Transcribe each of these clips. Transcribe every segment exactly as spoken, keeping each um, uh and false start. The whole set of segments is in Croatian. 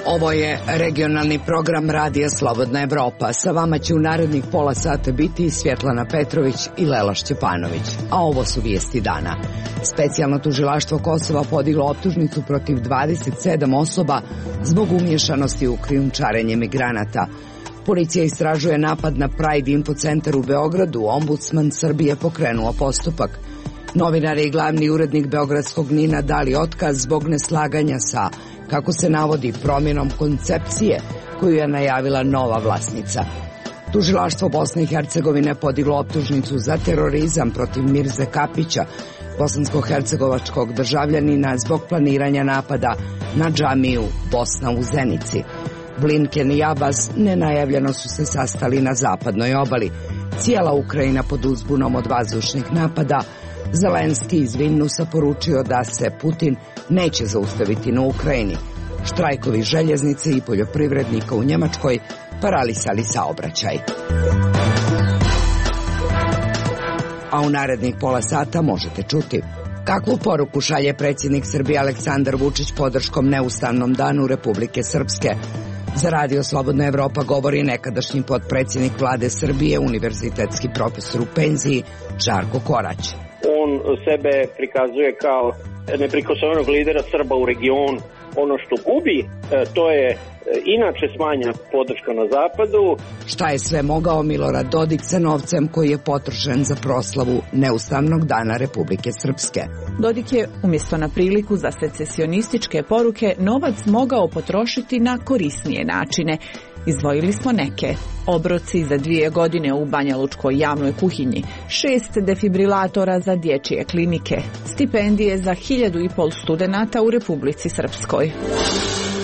Ovo je regionalni program Radija Slobodna Evropa. Sa vama će u narednih pola sata biti Svjetlana Petrović i Lela Šćepanović. A ovo su vijesti dana. Specijalno tužilaštvo Kosova podiglo optužnicu protiv dvadeset sedam osoba zbog umješanosti u krijumčarenje migranata. Policija istražuje napad na Pride Info centar u Beogradu. Ombudsman Srbije pokrenuo postupak. Novinar i glavni urednik beogradskog Nina dali otkaz zbog neslaganja sa, kako se navodi, promjenom koncepcije koju je najavila nova vlasnica. Tužilaštvo Bosne i Hercegovine podiglo optužnicu za terorizam protiv Mirze Kapića, bosansko-hercegovačkog državljanina, zbog planiranja napada na džamiju Bosna u Zenici. Blinken i Abbas nenajavljeno su se sastali na zapadnoj obali. Cijela Ukrajina pod uzbunom od vazdušnih napada. Zelenski iz Vilnusa poručio da se Putin neće zaustaviti na Ukrajini. Štrajkovi željeznice i poljoprivrednika u Njemačkoj paralisali saobraćaj. A u narednih pola sata možete čuti kakvu poruku šalje predsjednik Srbije Aleksandar Vučić podrškom neustavnom danu Republike Srpske. Za Radio Slobodna Evropa govori nekadašnji potpredsjednik vlade Srbije, univerzitetski profesor u penziji Žarko Korać. On sebe prikazuje kao neprikosnovenog lidera Srba u regionu. Ono što gubi, to je inače smanjena podrška na zapadu. Šta je sve mogao Milorad Dodik sa novcem koji je potrošen za proslavu neustavnog dana Republike Srpske? Dodik je umjesto na priliku za secesionističke poruke novac mogao potrošiti na korisnije načine. Izdvojili smo neke. Obroci za dvije godine u Banjalučkoj javnoj kuhinji, šest defibrilatora za dječje klinike, stipendije za hiljadu i pol studenata u Republici Srpskoj.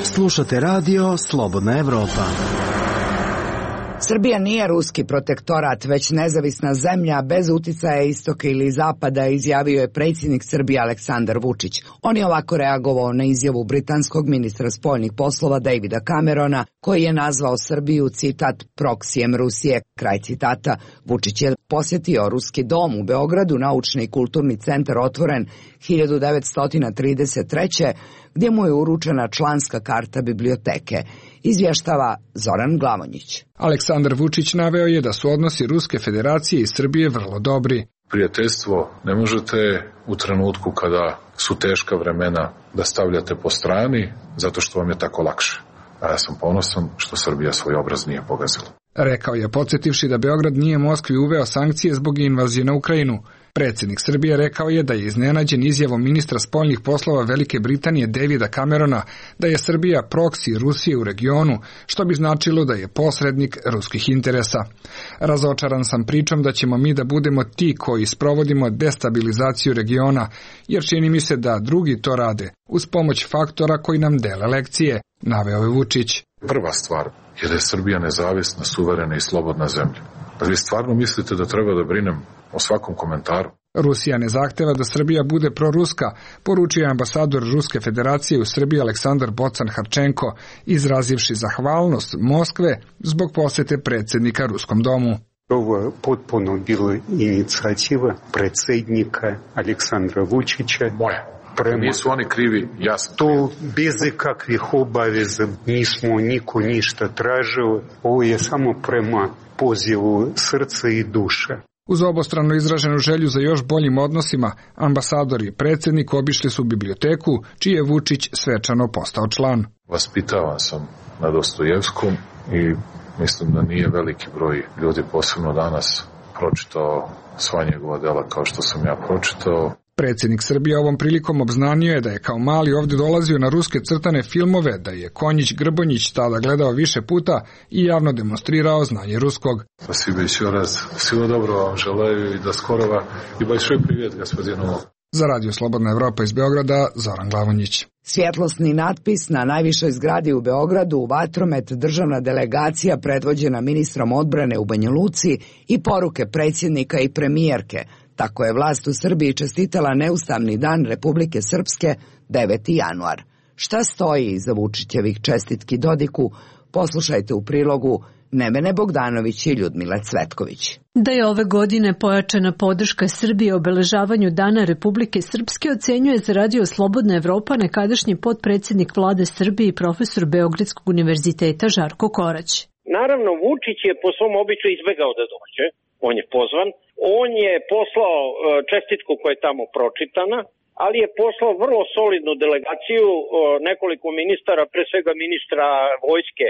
Slušate radio Slobodna Evropa. Srbija nije ruski protektorat, već nezavisna zemlja bez uticaja istoka ili zapada, izjavio je predsjednik Srbije Aleksandar Vučić. On je ovako reagovao na izjavu britanskog ministra spoljnih poslova Davida Camerona, koji je nazvao Srbiju, citat, proksijem Rusije, kraj citata. Vučić je posjetio Ruski dom u Beogradu, naučni i kulturni centar otvoren hiljadu devetsto trideset treće gdje mu je uručena članska karta biblioteke. Izvještava Zoran Glavonjić. Aleksandar Vučić naveo je da su odnosi Ruske federacije i Srbije vrlo dobri. Prijateljstvo ne možete u trenutku kada su teška vremena da stavljate po strani zato što vam je tako lakše. A ja sam ponosan što Srbija svoj obraz nije pogazila. Rekao je, podsjetivši da Beograd nije Moskvi uveo sankcije zbog invazije na Ukrajinu. Predsjednik Srbije rekao je da je iznenađen izjavom ministra spoljnih poslova Velike Britanije Davida Camerona da je Srbija proksi Rusije u regionu, što bi značilo da je posrednik ruskih interesa. Razočaran sam pričom da ćemo mi da budemo ti koji sprovodimo destabilizaciju regiona, jer čini mi se da drugi to rade, uz pomoć faktora koji nam dele lekcije, naveo je Vučić. Prva stvar je da je Srbija nezavisna, suverena i slobodna zemlja. Da vi stvarno mislite da treba da brinem o svakom komentaru? Rusija ne zahteva da Srbija bude proruska, poručio je ambasador Ruske federacije u Srbiji Aleksandar Bocan Harčenko, izrazivši zahvalnost Moskve zbog posjete predsjednika Ruskom domu. Ovo potpuno bila inicijativa predsjednika Aleksandra Vučića. Moja. Prema, nisu oni krivi, ja sam to bez kakvih obaveza nismo niko ništa tražili. Ovo je samo prema pozivu srca i duše. Uz obostrano izraženu želju za još boljim odnosima, ambasador i predsjednik obišli su biblioteku, čiji je Vučić svečano postao član. Vaspitavan sam na Dostojevskom i mislim da nije veliki broj ljudi, posebno danas, pročitao sva njegova dela kao što sam ja pročitao. Predsjednik Srbije ovom prilikom obznanio je da je kao mali ovdje dolazio na ruske crtane filmove, da je Konjić Grbonjić tada gledao više puta i javno demonstrirao znanje ruskog. Спасибо еще раз. Всего доброго вам желаю и до скорого. И большой привет господину. Za Radio Slobodna Evropa iz Beograda, Zoran Glavonjić. Svjetlosni natpis na najvišoj zgradi u Beogradu, u Vatromet, državna delegacija predvođena ministrom odbrane u Banja Luci i poruke predsjednika i premijerke. Tako je vlast u Srbiji čestitala neustavni dan Republike Srpske deveti januar. Šta stoji iza Vučićevih čestitki Dodiku, poslušajte u prilogu Nevene Bogdanović i Ljudmila Cvetković. Da je ove godine pojačana podrška Srbije obeležavanju Dana Republike Srpske ocenjuje za Radio Slobodna Evropa nekadašnji potpredsjednik vlade Srbije i profesor Beogradskog univerziteta Žarko Korać. Naravno, Vučić je po svom običaju izbegao da dođe, on je pozvan, on je poslao čestitku koja je tamo pročitana, ali je poslao vrlo solidnu delegaciju, nekoliko ministara, pre svega ministra vojske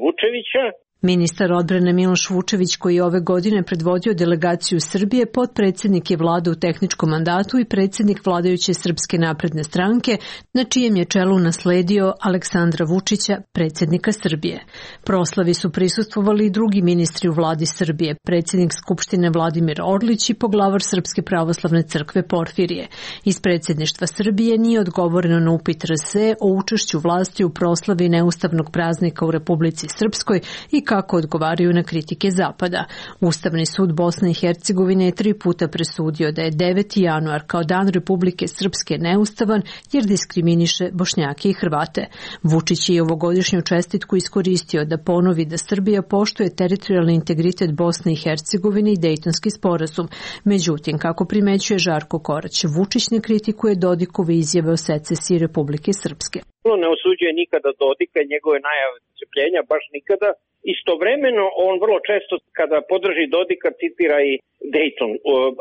Vučevića. Ministar odbrane Miloš Vučević, koji je ove godine predvodio delegaciju Srbije, potpredsjednik je vlade u tehničkom mandatu i predsjednik vladajuće Srpske napredne stranke, na čijem je čelu nasledio Aleksandra Vučića, predsjednika Srbije. Proslavi su prisustvovali i drugi ministri u vladi Srbije, predsjednik Skupštine Vladimir Orlić i poglavar Srpske pravoslavne crkve Porfirije. Iz predsjedništva Srbije nije odgovoreno na upit R S E o učešću vlasti u proslavi neustavnog praznika u Republici Srpskoj i kako odgovaraju na kritike Zapada. Ustavni sud Bosne i Hercegovine je tri puta presudio da je deveti januar kao Dan Republike Srpske neustavan jer diskriminiše Bošnjake i Hrvate. Vučić je ovogodišnju čestitku iskoristio da ponovi da Srbija poštuje teritorijalni integritet Bosne i Hercegovine i Dejtonski sporazum. Međutim, kako primećuje Žarko Korać, Vučić ne kritikuje Dodikove izjave o secesiji Republike Srpske. Ne osuđuje nikada Dodika i njegove najave odcepljenja, baš nikada. Istovremeno, on vrlo često kada podrži Dodika citira i Dejton,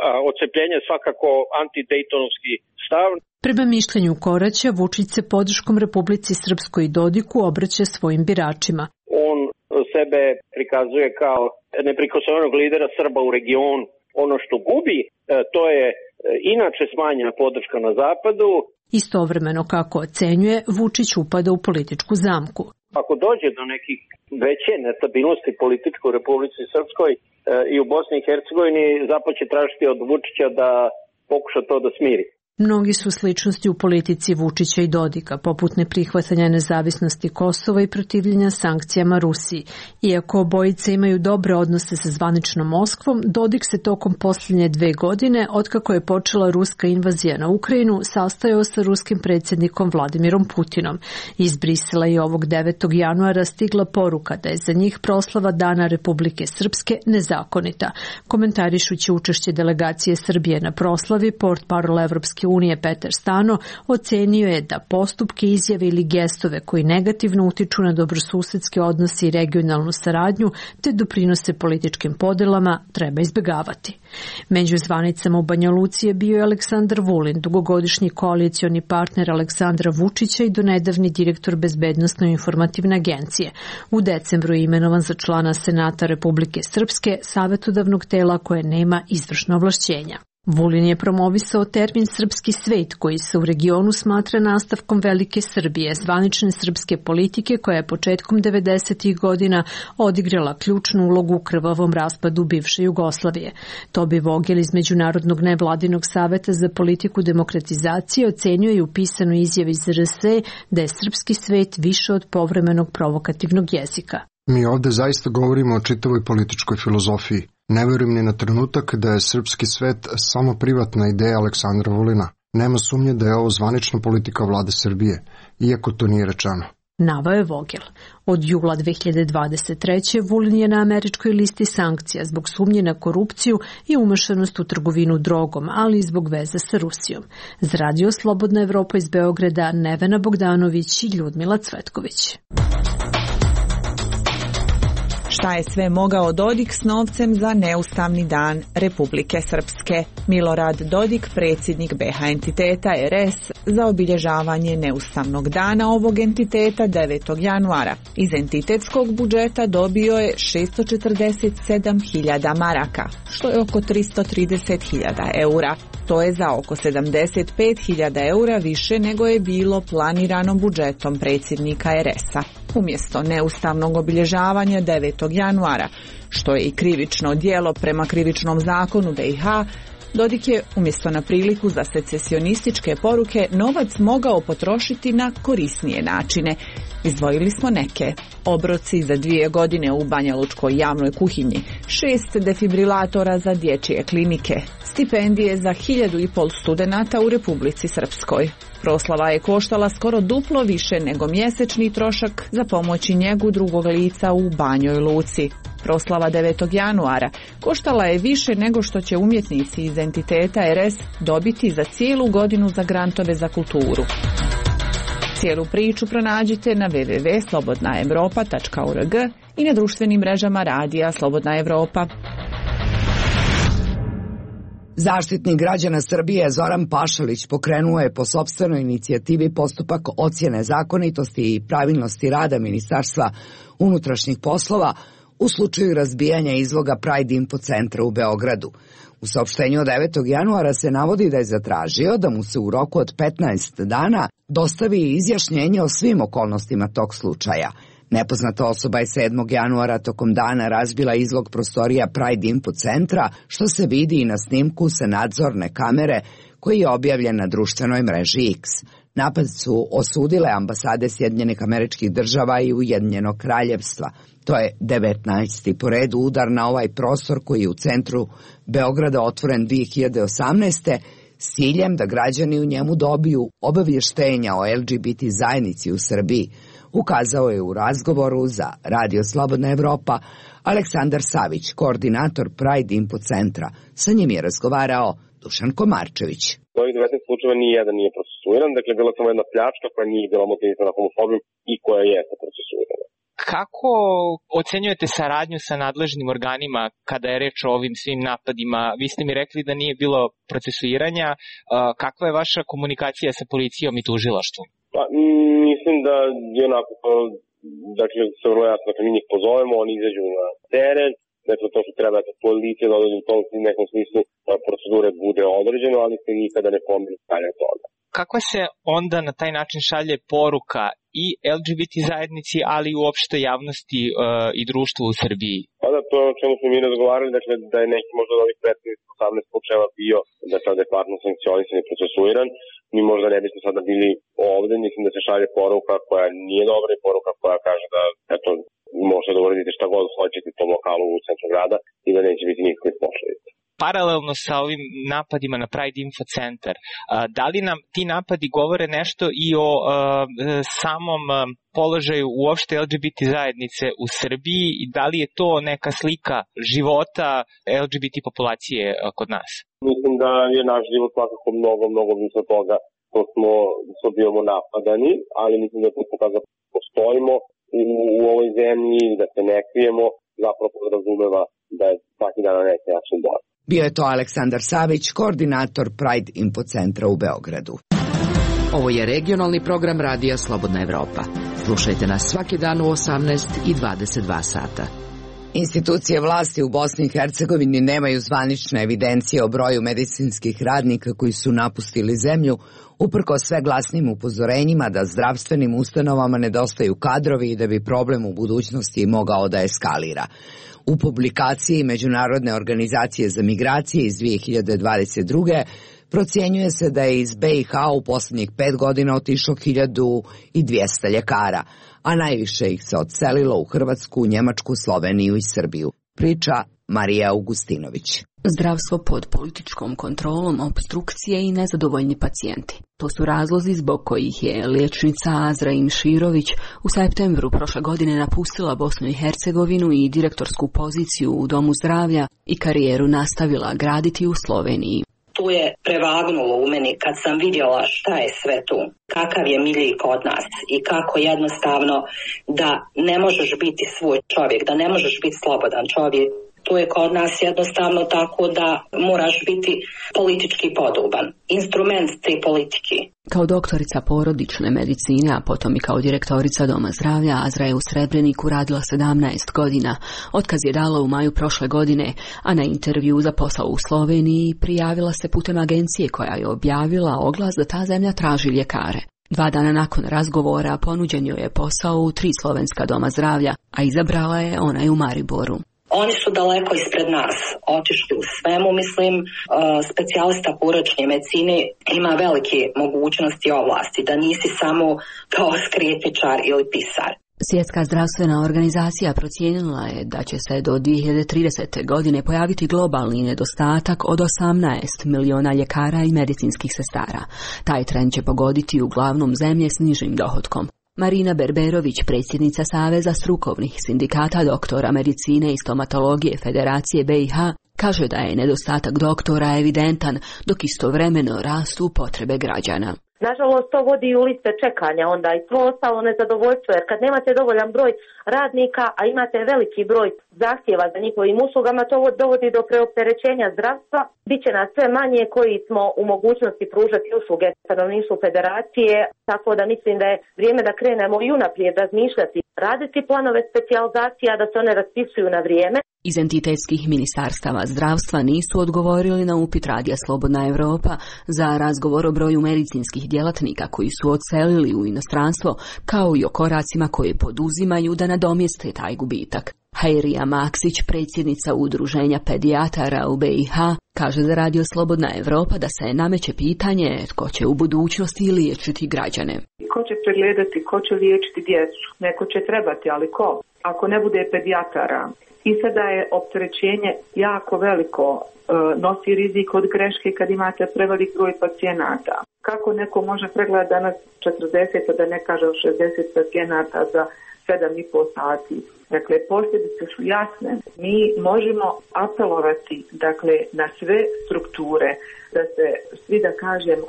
a odcepljenje je svakako antidejtonski stav. Prema mišljenju Koraća, Vučić se podrškom Republici Srpskoj i Dodiku obraća svojim biračima. On sebe prikazuje kao neprikosnovenog lidera Srba u regionu. Ono što gubi, to je inače smanjena podrška na zapadu. Istovremeno, kako ocenjuje, Vučić upada u političku zamku. Ako dođe do nekih veće nestabilnosti političke u Republici Srpskoj e, i u Bosni i Hercegovini, Zapad će tražiti od Vučića da pokuša to da smiri. Mnogi su sličnosti u politici Vučića i Dodika, poput neprihvatanja nezavisnosti Kosova i protivljenja sankcijama Rusiji. Iako obojice imaju dobre odnose sa zvaničnom Moskvom, Dodik se tokom posljednje dve godine, otkako je počela ruska invazija na Ukrajinu, sastajao sa ruskim predsjednikom Vladimirom Putinom. Iz Brisela je ovog devetog januara stigla poruka da je za njih proslava Dana Republike Srpske nezakonita. Komentarišući učešće delegacije Srbije na proslavi, portparol Evropske unije Petar Stano ocenio je da postupke, izjave ili gestove koji negativno utiču na dobrosusedske odnose i regionalnu saradnju te doprinose političkim podelama treba izbjegavati. Među zvanicama u Banja Luci je bio Aleksandar Vulin, dugogodišnji koalicioni partner Aleksandra Vučića i donedavni direktor Bezbednosno-informativne agencije. U decembru je imenovan za člana Senata Republike Srpske, savetodavnog tela koje nema izvršno ovlašćenja. Vulin je promovisao termin srpski svet koji se u regionu smatra nastavkom Velike Srbije, zvanične srpske politike koja je početkom devedesetih godina odigrala ključnu ulogu u krvavom raspadu bivše Jugoslavije. Tobi Vogel iz Međunarodnog nevladinog saveta za politiku demokratizacije ocenjuje i u pisanoj izjavi iz R S E da je srpski svet više od povremenog provokativnog jezika. Mi ovde zaista govorimo o čitavoj političkoj filozofiji. Ne verujem ni na trenutak da je srpski svet samo privatna ideja Aleksandra Vulina. Nema sumnje da je ovo zvanična politika vlade Srbije, iako to nije rečeno. Navao je Vogel. Od jula dve hiljade dvadeset treće. Vulin je na američkoj listi sankcija zbog sumnje na korupciju i umešanost u trgovinu drogom, ali i zbog veze sa Rusijom. Za Radio Slobodna Evropa iz Beograda, Nevena Bogdanović i Ljudmila Cvetković. Šta je sve mogao Dodik s novcem za neustavni dan Republike Srpske? Milorad Dodik, predsjednik B H entiteta R S, za obilježavanje neustavnog dana ovog entiteta devetog januara. Iz entitetskog budžeta dobio je šesto četrdeset sedam hiljada maraka, što je oko tristo trideset hiljada eura. To je za oko sedamdeset pet hiljada eura više nego je bilo planirano budžetom predsjednika R S-a. Umjesto neustavnog obilježavanja devetog januara, što je i krivično djelo prema krivičnom zakonu B i H, Dodik je umjesto na priliku za secesionističke poruke novac mogao potrošiti na korisnije načine. Izdvojili smo neke. Obroci za dvije godine u banjalučkoj javnoj kuhinji, šest defibrilatora za dječje klinike, stipendije za hiljadu i pol studenata u Republici Srpskoj. Proslava je koštala skoro duplo više nego mjesečni trošak za pomoć i njegu drugog lica u Banjoj Luci. Proslava devetog januara koštala je više nego što će umjetnici iz entiteta R S dobiti za cijelu godinu za grantove za kulturu. Cijelu priču pronađite na w w w tačka slobodna evropa tačka org i na društvenim mrežama radija Slobodna Evropa. Zaštitnik građana Srbije Zoran Pašalić pokrenuo je po sopstvenoj inicijativi postupak ocjene zakonitosti i pravilnosti rada Ministarstva unutrašnjih poslova u slučaju razbijanja izloga Pride Info centra u Beogradu. U saopštenju od devetog januara se navodi da je zatražio da mu se u roku od petnaest dana dostavi izjašnjenje o svim okolnostima tog slučaja. Nepoznata osoba je sedmog januara tokom dana razbila izlog prostorija Pride Info centra, što se vidi i na snimku sa nadzorne kamere koji je objavljen na društvenoj mreži X. Napad su osudile ambasade Sjedinjenih Američkih Država i Ujedinjenog Kraljevstva. To je devetnaesti po redu udar na ovaj prostor koji je u centru Beograda otvoren dvije hiljade osamnaeste. s ciljem da građani u njemu dobiju obavještenja o L G B T zajednici u Srbiji, ukazao je u razgovoru za Radio Slobodna Evropa Aleksandar Savić, koordinator Pride Info centra. Sa njim je razgovarao Dušan Komarčević. Ovih devetnaest slučajeva ni jedan nije procesuiran, dakle bila samo jedna pljačka koja nije bila motivisana homofobijom i koja jeste procesuirana. Kako ocenjujete saradnju sa nadležnim organima kada je reč o ovim svim napadima? Vi ste mi rekli da nije bilo procesuiranja. Kakva je vaša komunikacija sa policijom i tužilaštvom? Pa, mislim da je onako, dakle, se vrlo jasno, dakle, mi njih pozovemo, oni izađu na teren, dakle, to što treba da policija da određu u tom nekom smislu procedure bude određeno, ali se nikada ne pomeni dalje toga. Kako se onda na taj način šalje poruka i L G B T zajednici, ali i uopšte javnosti uh, i društvu u Srbiji? Pa da, to o čemu smo mi razgovarali, dakle, da je neki možda od ovih petnaest do osamnaest slučajeva bio da je adekvatno sankcionisan i procesuiran. Mi možda ne bismo sada bili ovde, mislim da se šalje poruka koja nije dobra i poruka koja kaže da, eto, možete da uradite šta god hoćete u tom lokalu u centru grada i da neće biti nikakve posledice. Paralelno sa ovim napadima na Pride Info centar, da li nam ti napadi govore nešto i o uh, samom položaju uopšte L G B T zajednice u Srbiji i da li je to neka slika života L G B T populacije kod nas? Mislim da je naš život svakako mnogo, mnogo više toga što smo, što bivamo napadani, ali mislim da to pokazuje da postojimo u, u ovoj zemlji, da se ne krijemo, zapravo podrazumeva da je svaki dan na neki način bolje. Bio je to Aleksandar Savić, koordinator Pride Info centra u Beogradu. Ovo je regionalni program Radija Slobodna Evropa. Slušajte nas svaki dan u osamnaest i dvadeset dva sata. Institucije vlasti u Bosni i Hercegovini nemaju zvanične evidencije o broju medicinskih radnika koji su napustili zemlju, uprkos sve glasnim upozorenjima da zdravstvenim ustanovama nedostaju kadrovi i da bi problem u budućnosti mogao da eskalira. U publikaciji Međunarodne organizacije za migracije iz dvije hiljade dvadeset druge procjenjuje se da je iz B i H u posljednjih pet godina otišlo hiljadu dvjesto ljekara, a najviše ih se odselilo u Hrvatsku, Njemačku, Sloveniju i Srbiju. Priča Marija Augustinović. Zdravstvo pod političkom kontrolom, opstrukcije i nezadovoljni pacijenti. To su razlozi zbog kojih je liječnica Azra Imširović u septembru prošle godine napustila Bosnu i Hercegovinu i direktorsku poziciju u Domu zdravlja i karijeru nastavila graditi u Sloveniji. Tu je prevagnulo u meni kad sam vidjela šta je sve tu, kakav je milji kod nas i kako jednostavno da ne možeš biti svoj čovjek, da ne možeš biti slobodan čovjek. Tu je kod nas jednostavno tako da moraš biti politički podoban, instrument te politike. Kao doktorica porodične medicine, a potom i kao direktorica Doma zdravlja, Azra je u Srebreniku radila sedamnaest godina. Otkaz je dala u maju prošle godine, a na intervju za posao u Sloveniji prijavila se putem agencije koja je objavila oglas da ta zemlja traži ljekare. Dva dana nakon razgovora ponuđen joj je posao u tri slovenska doma zdravlja, a izabrala je onaj u Mariboru. Oni su daleko ispred nas, otišli u svemu, mislim, specijalista porodične medicine ima velike mogućnosti i ovlasti, da nisi samo kao skretničar ili pisar. Svjetska zdravstvena organizacija procijenila je da će se do dvije hiljade tridesete. godine pojaviti globalni nedostatak od osamnaest miliona ljekara i medicinskih sestara. Taj trend će pogoditi uglavnom zemlje s nižim dohotkom. Marina Berberović, predsjednica Saveza strukovnih sindikata doktora medicine i stomatologije Federacije B i H, kaže da je nedostatak doktora evidentan, dok istovremeno rastu potrebe građana. Nažalost, to vodi u liste čekanja onda i to ostalo nezadovoljstvo, jer kad nemate dovoljan broj radnika, a imate veliki broj zahtjeva za njihovim uslugama, to dovodi do preopterećenja zdravstva. Biće nas sve manje koji smo u mogućnosti pružati usluge stanovništvu federacije, tako da mislim da je vrijeme da krenemo i unaprijed razmišljati, raditi planove specijalizacija, da se one raspisuju na vrijeme. Iz entitetskih ministarstava zdravstva nisu odgovorili na upit Radija Slobodna Evropa za razgovor o broju medicinskih djelatnika koji su odselili u inostranstvo, kao i o koracima koje poduzimaju da nadomjeste taj gubitak. Hajrija Maksić, predsjednica Udruženja pedijatara u B i H, kaže za Radio Slobodna Evropa da se nameće pitanje tko će u budućnosti liječiti građane. Ko će pregledati, ko će liječiti djecu? Neko će trebati, ali ko? Ako ne bude pedijatara. I sada je opterećenje jako veliko, e, nosi rizik od greške kad imate prevelik broj pacijenata. Kako neko može pregledati danas četrdeset, da ne kažem šezdeset pacijenata za sedam i pol sati? Dakle, posljedice su jasne. Mi možemo apelovati, dakle, na sve strukture, da se svi, da kažem,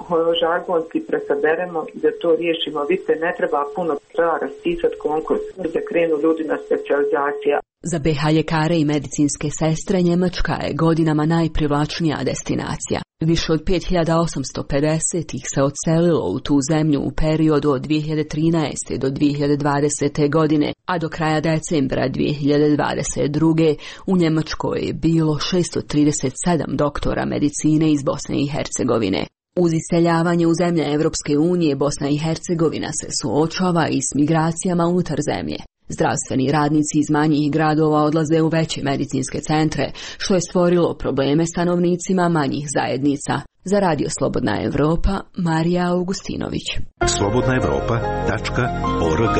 žargonski presaberemo i da to riješimo. Vidite, ne treba puno, treba raspisati konkurs da krenu ljudi na specijalizacija. Za B H ljekare i medicinske sestre Njemačka je godinama najprivlačnija destinacija. Više od pet hiljada osamsto pedeset ih se odselilo u tu zemlju u periodu od dvije hiljade trinaeste. do dvije hiljade dvadesete. godine, a do kraja decembra dvije hiljade dvadeset druge. u Njemačkoj je bilo šesto trideset sedam doktora medicine iz Bosne i Hercegovine. Uz iseljavanje u zemlje Evropske unije, Bosna i Hercegovina se suočava i s migracijama unutar zemlje. Zdravstveni radnici iz manjih gradova odlaze u veće medicinske centre, što je stvorilo probleme stanovnicima manjih zajednica. Za Radio Slobodna Evropa, Marija Augustinović. slobodna evropa tačka org.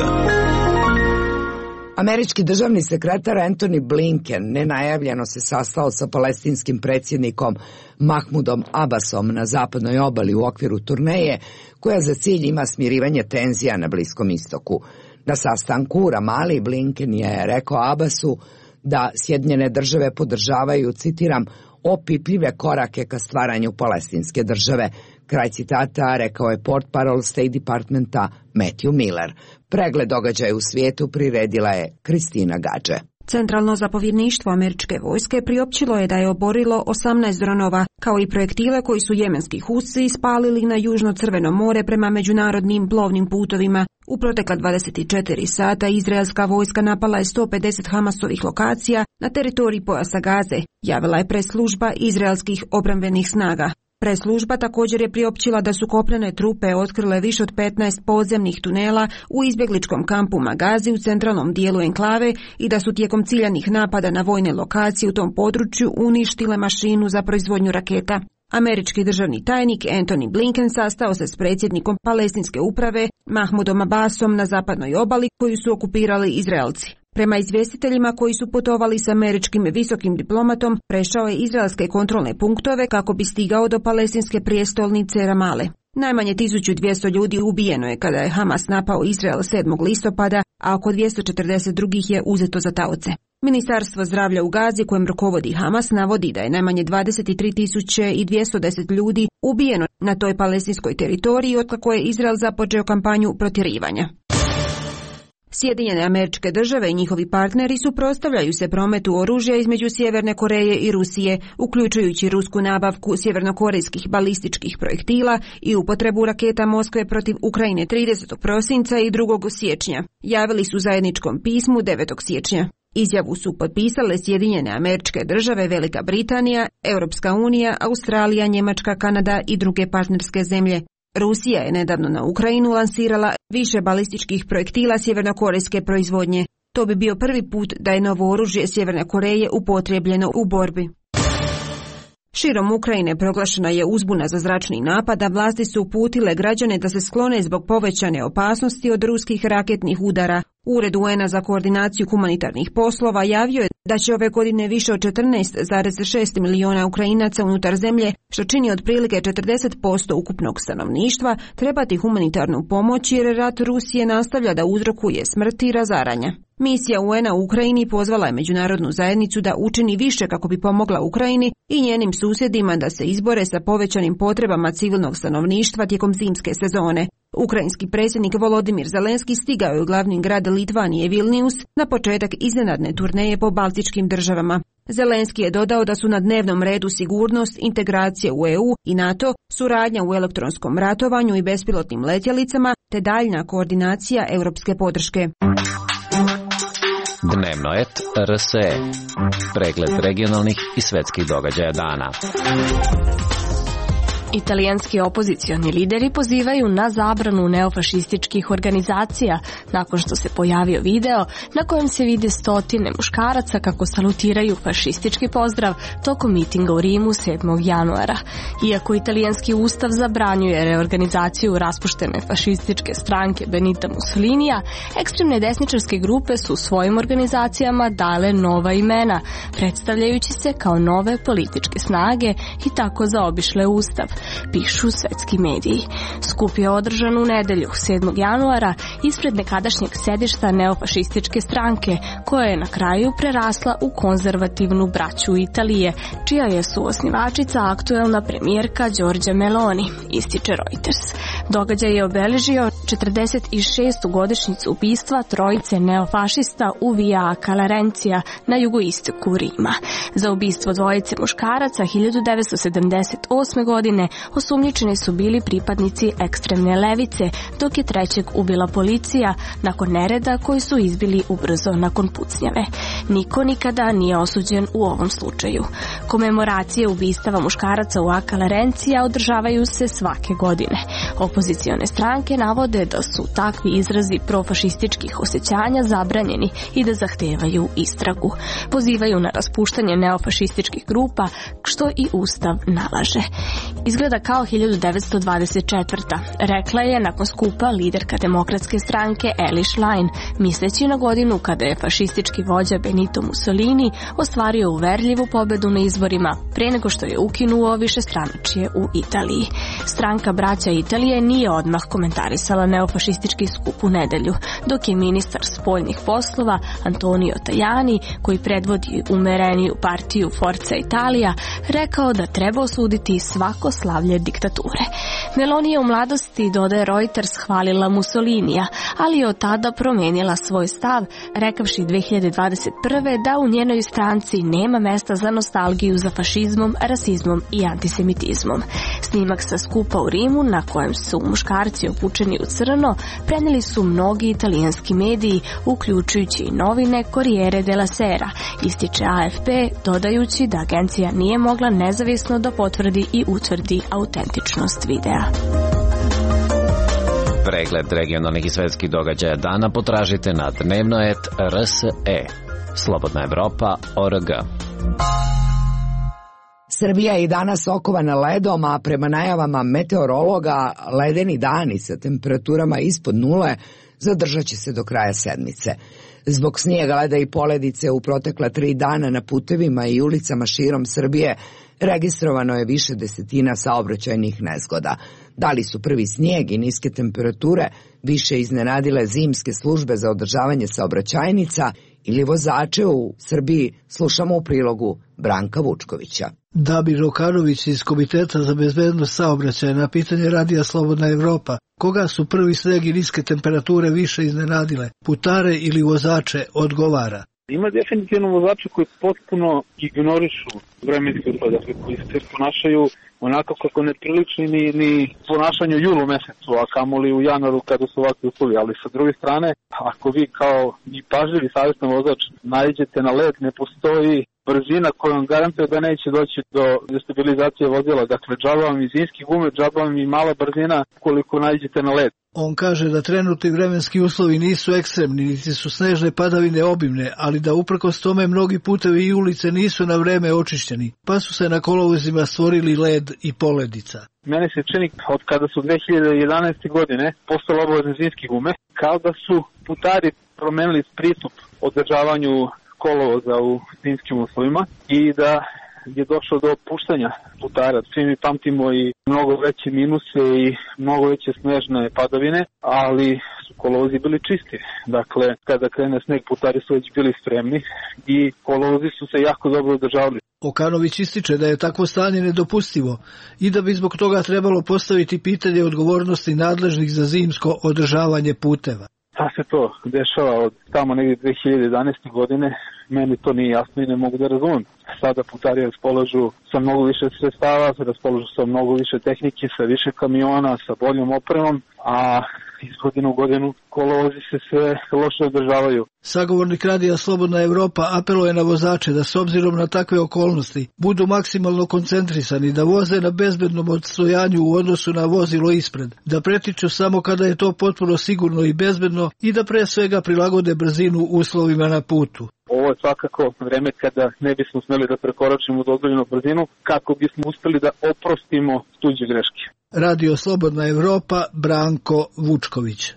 Američki državni sekretar Antony Blinken nenajavljeno se sastao sa palestinskim predsjednikom Mahmudom Abbasom na zapadnoj obali u okviru turneje koja za cilj ima smirivanje tenzija na Bliskom istoku. Na sastanku u Ramali Blinken je rekao Abbasu da Sjedinjene države podržavaju, citiram, opipljive korake ka stvaranju palestinske države. Kraj citata rekao je portparol State Departmenta Matthew Miller. Pregled događaja u svijetu priredila je Kristina Gadže. Centralno zapovjedništvo američke vojske priopćilo je da je oborilo osamnaest dronova, kao i projektile koji su jemenski Husi ispalili na Južno Crveno more prema međunarodnim plovnim putovima. U protekla dvadeset četiri sata izraelska vojska napala je sto pedeset Hamasovih lokacija na teritoriji pojasa Gaze, javila je press-služba izraelskih obrambenih snaga. Press-služba također je priopćila da su kopnene trupe otkrile više od petnaest podzemnih tunela u izbjegličkom kampu Magazi u centralnom dijelu enklave i da su tijekom ciljanih napada na vojne lokacije u tom području uništile mašinu za proizvodnju raketa. Američki državni tajnik Antony Blinken sastao se s predsjednikom palestinske uprave Mahmudom Abbasom na zapadnoj obali koju su okupirali Izraelci. Prema izvjestiteljima koji su putovali s američkim visokim diplomatom, prešao je izraelske kontrolne punktove kako bi stigao do palestinske prijestolnice Ramale. Najmanje tisuću dvjesto ljudi ubijeno je kada je Hamas napao Izrael sedmog listopada, a oko dvjesto četrdeset drugih je uzeto za taoce. Ministarstvo zdravlja u Gazi, kojem rukovodi Hamas, navodi da je najmanje dvadeset tri tisuće dvjesto deset ljudi ubijeno na toj palestinskoj teritoriji otkako je Izrael započeo kampanju protjerivanja. Sjedinjene Američke Države i njihovi partneri suprotstavljaju se prometu oružja između Sjeverne Koreje i Rusije, uključujući rusku nabavku sjevernokorejskih balističkih projektila i upotrebu raketa Moskve protiv Ukrajine tridesetog prosinca i drugog siječnja. Javili su u zajedničkom pismu devetog siječnja. Izjavu su potpisale Sjedinjene Američke Države, Velika Britanija, Europska unija, Australija, Njemačka, Kanada i druge partnerske zemlje. Rusija je nedavno na Ukrajinu lansirala više balističkih projektila sjevernokorejske proizvodnje. To bi bio prvi put da je novo oružje Sjeverne Koreje upotrijebljeno u borbi. Širom Ukrajine proglašena je uzbuna za zračni napad, a vlasti su uputile građane da se sklone zbog povećane opasnosti od ruskih raketnih udara. Ured U N-a za koordinaciju humanitarnih poslova javio je da će ove godine više od četrnaest zarez šest miliona Ukrajinaca unutar zemlje, što čini otprilike četrdeset posto ukupnog stanovništva, trebati humanitarnu pomoć jer rat Rusije nastavlja da uzrokuje smrt i razaranja. Misija U N-a u Ukrajini pozvala je međunarodnu zajednicu da učini više kako bi pomogla Ukrajini i njenim susjedima da se izbore sa povećanim potrebama civilnog stanovništva tijekom zimske sezone. Ukrajinski predsjednik Volodimir Zelenski stigao je u glavni grad Litvanije Vilnius na početak iznenadne turneje po baltičkim državama. Zelenski je dodao da su na dnevnom redu sigurnost, integracije u E U i NATO, suradnja u elektronskom ratovanju i bespilotnim letjelicama te daljna koordinacija europske podrške. Dnevnoet R S E. Pregled regionalnih i svetskih događaja dana. Italijanski opozicioni lideri pozivaju na zabranu neofašističkih organizacija nakon što se pojavio video na kojem se vide stotine muškaraca kako salutiraju fašistički pozdrav tokom mitinga u Rimu sedmog januara. Iako italijanski ustav zabranjuje reorganizaciju raspuštene fašističke stranke Benita Mussolinija, ekstremne desničarske grupe su svojim organizacijama dale nova imena, predstavljajući se kao nove političke snage i tako zaobišle ustav, pišu svetski mediji. Skup je održan u nedelju, sedmog januara, ispred nekadašnjeg sedišta neofašističke stranke, koja je na kraju prerasla u konzervativnu braću Italije, čija je suosnivačica aktuelna premijerka Giorgia Meloni, ističe Reuters. Događaj je obeležio četrdeset šestu godišnjicu ubistva trojice neofašista u Via Calarencija na jugoistoku Rima. Za ubistvo dvojice muškaraca hiljadu devetsto sedamdeset osme godine osumnjičeni su bili pripadnici ekstremne levice, dok je trećeg ubila policija nakon nereda koji su izbili ubrzo nakon pucnjave. Niko nikada nije osuđen u ovom slučaju. Komemoracije ubistava muškaraca u A Calarencija održavaju se svake godine. Opozicione stranke navode da su takvi izrazi profašističkih osjećanja zabranjeni i da zahtevaju istragu. Pozivaju na raspuštanje neofašističkih grupa, što i ustav nalaže. Izgleda kao hiljadu devetsto dvadeset četvrta. Rekla je nakon skupa liderka demokratske stranke Eli Schlein, misleći na godinu kada je fašistički vođa Benito Mussolini ostvario uverljivu pobedu na izborima pre nego što je ukinuo višestranačje u Italiji. Stranka Braća Italije nije odmah komentarisala neofašistički skup u nedelju, dok je ministar spoljnih poslova Antonio Tajani, koji predvodi umereniju partiju Forza Italia, rekao da treba osuditi svako slavlje diktature. Meloni je u mladosti, dodaje Reuters, hvalila Mussolinija, ali je od tada promenila svoj stav, rekavši dve hiljade dvadeset prve da u njenoj stranci nema mesta za nostalgiju za fašizmom, rasizmom i antisemitizmom. Snimak sa skupa u Rimu, na kojem su muškarci obučeni u crno, prenijeli su mnogi italijanski mediji, uključujući i novine Corriere della Sera, ističe A F P, dodajući da agencija nije mogla nezavisno da potvrdi i utvrdi autentičnost videa. Pregled regionalnih i svetskih događaja dana potražite na dnevnoet R S E. Slobodna Evropa O R G. Srbija je i danas okovana ledom, a prema najavama meteorologa ledeni dani sa temperaturama ispod nule zadržat će se do kraja sedmice. Zbog snijega, leda i poledice u protekla tri dana na putevima i ulicama širom Srbije registrovano je više desetina saobraćajnih nezgoda. Da li su prvi snijeg i niske temperature više iznenadile zimske službe za održavanje saobraćajnica ili vozače u Srbiji, slušamo u prilogu Branka Vučkovića. Dabir Rokanović iz Komiteta za bezbednost saobraćaja na pitanje Radija Slobodna Evropa, koga su prvi sneg i niske temperature više iznenadile, putare ili vozače, odgovara. Ima definitivno vozače koji potpuno ignorišu vremenske uslove, dakle koji se ponašaju onako kako ne priliči ni, ni ponašanju u julu mesecu, a kamoli u januaru kada su ovakvi uslovi. Ali sa druge strane, ako vi kao i pažljivi savjestan vozač naiđete na led, ne postoji brzina kojom garantuje da neće doći do destabilizacije vozila. Dakle, džaba vam i zimski gume, džaba vam i mala brzina koliko naiđete na led. On kaže da trenutni vremenski uslovi nisu ekstremni, niti su snežne padavine obimne, ali da uprkos tome mnogi putevi i ulice nisu na vreme očišćeni, pa su se na kolovozima stvorili led i poledica. Mene se čini od kada su dve hiljade jedanaeste. godine postale obavezne zimske gume, kao da su putari promenili pristup održavanju kolovoza u zimskim uslovima i da je došlo do opuštanja putara. Svi mi pamtimo i mnogo veće minuse i mnogo veće snežne padavine, ali su kolovozi bili čisti. Dakle, kada krene sneg, putari su već bili spremni i kolovozi su se jako dobro održavali. Okanović ističe da je takvo stanje nedopustivo i da bi zbog toga trebalo postaviti pitanje odgovornosti nadležnih za zimsko održavanje puteva. Da se to dešava od tamo negdje dve hiljade jedanaeste. godine, meni to nije jasno i ne mogu da razumem. Sada putari raspolažu sa mnogo više sredstava, raspolažu sa mnogo više tehnike, sa više kamiona, sa boljom opremom, a iz godine u godinu kolovozi se sve loše održavaju. Sagovornik radija Slobodna Evropa apeluje na vozače da s obzirom na takve okolnosti budu maksimalno koncentrisani, da voze na bezbednom odstojanju u odnosu na vozilo ispred, da pretiču samo kada je to potpuno sigurno i bezbedno i da pre svega prilagode brzinu uslovima na putu. Ovo je svakako vreme kada ne bismo smeli da prekoračimo dozvoljenu brzinu kako bismo uspeli da oprostimo tuđe greške. Radio Slobodna Evropa, Branko Vučković.